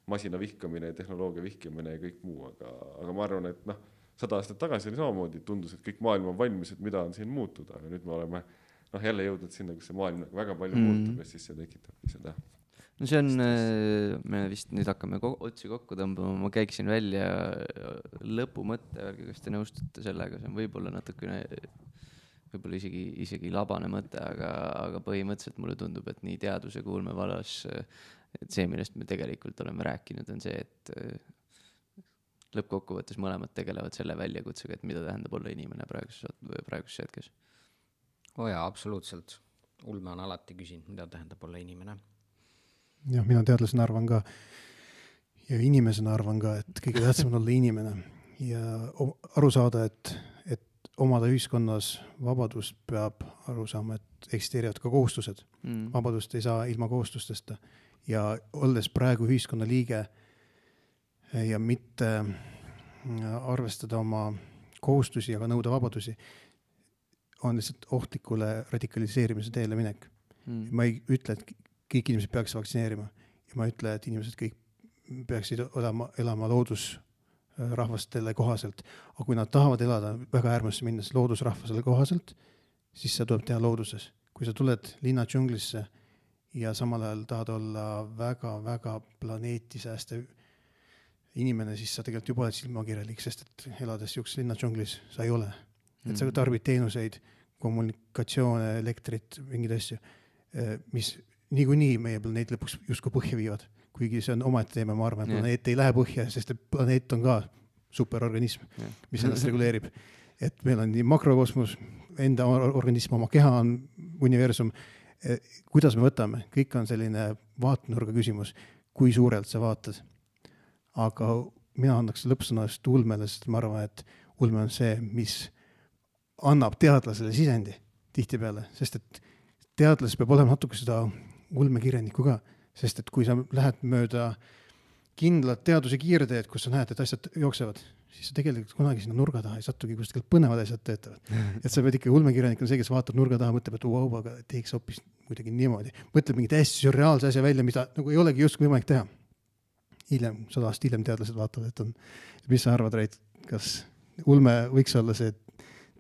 masina vihkamine, tehnoloogia vihkamine ja kõik muu, aga ma arvan, et noh, 100 aastat tagasi oli samamoodi, tundus, et kõik maailm on valmis, et mida on siin muutuda, aga nüüd me oleme noh, jälle jõudnud sinna, kus see maailm väga palju muutub ja siis see tekitabki seda. No see on, me vist nüüd hakkame otsi kokku tõmbama, ma käiksin välja lõpumõtte, kas te nõustute sellega, see on võib-olla natukene, võib-olla isegi labane mõte, aga põhimõtteliselt mulle tundub, et nii teaduse kui ulmevalas, et see, millest me tegelikult oleme rääkinud, on see, et lõppkokkuvõttes mõlemad tegelevad selle väljakutsega, et mida tähendab olla inimene praeguses hetkes. Jaa, absoluutselt. Ulme on alati küsinud, mida tähendab olla inimene. Jah, mina teadlasena arvan ka ja inimesena arvan ka, et kõige tähtsam on olla inimene ja aru saada, et omada ühiskonnas vabadust peab aru saama, et eksisteerivad ka kohustused. Vabadust ei saa ilma kohustustesta ja olles praegu ühiskonna liige ja mitte arvestada oma kohustusi, aga nõuda vabadusi, on lihtsalt ohtlikule radikaliseerimise teele minek. Ma ei ütle, et kõik inimesed peaks vaktsineerima ja ma ei ütle, et inimesed kõik peaksid elama loodusrahvastele kohaselt, aga kui nad tahavad elada väga äärmusse minnes loodusrahvasele kohaselt, siis see tuleb teha looduses. Kui sa tuled linna džunglisse ja samal ajal tahad olla väga planeeti säästev inimene, siis sa tegelikult juba oled silmakirjalik, sest et elades juks linna džunglis sa ei ole. Et sa tarbid teenuseid, kommunikatsioone, elektrit, mingid asju, mis niikuinii meie planeet lõpuks justkui põhja viivad. Kuigi see on omaette teema, ma arvan, et planeet ei lähe põhja, sest planeet on ka superorganism, mis ennast reguleerib. Et meil on nii makrokosmos, enda organism, oma keha on universum. Kuidas me võtame? Kõik on selline vaatenurga küsimus, kui suurelt sa vaatad. Aga mina annaks lõppsõnast ulmele, sest ma arvan, et ulme on see, mis annab teadlasele sisendi tihtipeale, sest et teadlas peab olema natuke seda ulmekirjanikku ka, sest et kui sa lähed mööda kindlat teaduse kiirteed, kus sa näed, et asjad jooksevad, siis sa tegelikult kunagi sinna nurga taha ei satugi, kus tegelikult põnevad asjad töötavad. Et sa pead ikka ulmekirjanik on see, kes vaatab nurga taha, mõtleb, et aga teeks hoopis kuidagi niimoodi. Mõtleb mingi täiesti surreaalse asja välja, mida nagu ei olegi just võimalik teha. 100 aastat hiljem teadlased vaatavad, et on, mis sa arvad, Reit, kas ulme võiks olla see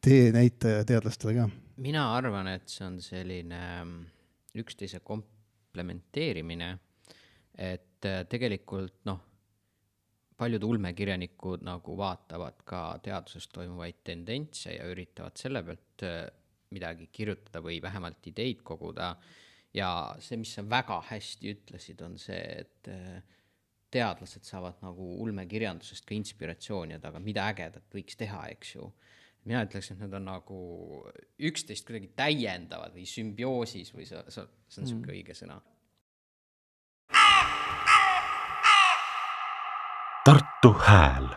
tee näitaja teadlastele ka? Mina arvan, et see on selline üksteise komplementeerimine, et tegelikult paljud ulmekirjanikud nagu vaatavad ka teaduses toimuvaid tendentse ja üritavad selle pealt midagi kirjutada või vähemalt ideid koguda. Ja see, mis sa väga hästi ütlesid, on see, et teadlased saavad nagu ulmekirjandusest ka inspiratsiooni, aga mida ägedat võiks teha, eks ju. Mina ütleks, et need on nagu üksteist kuidagi täiendavad või sümbioosis või see on selline õige sõna. Tartu Hääl.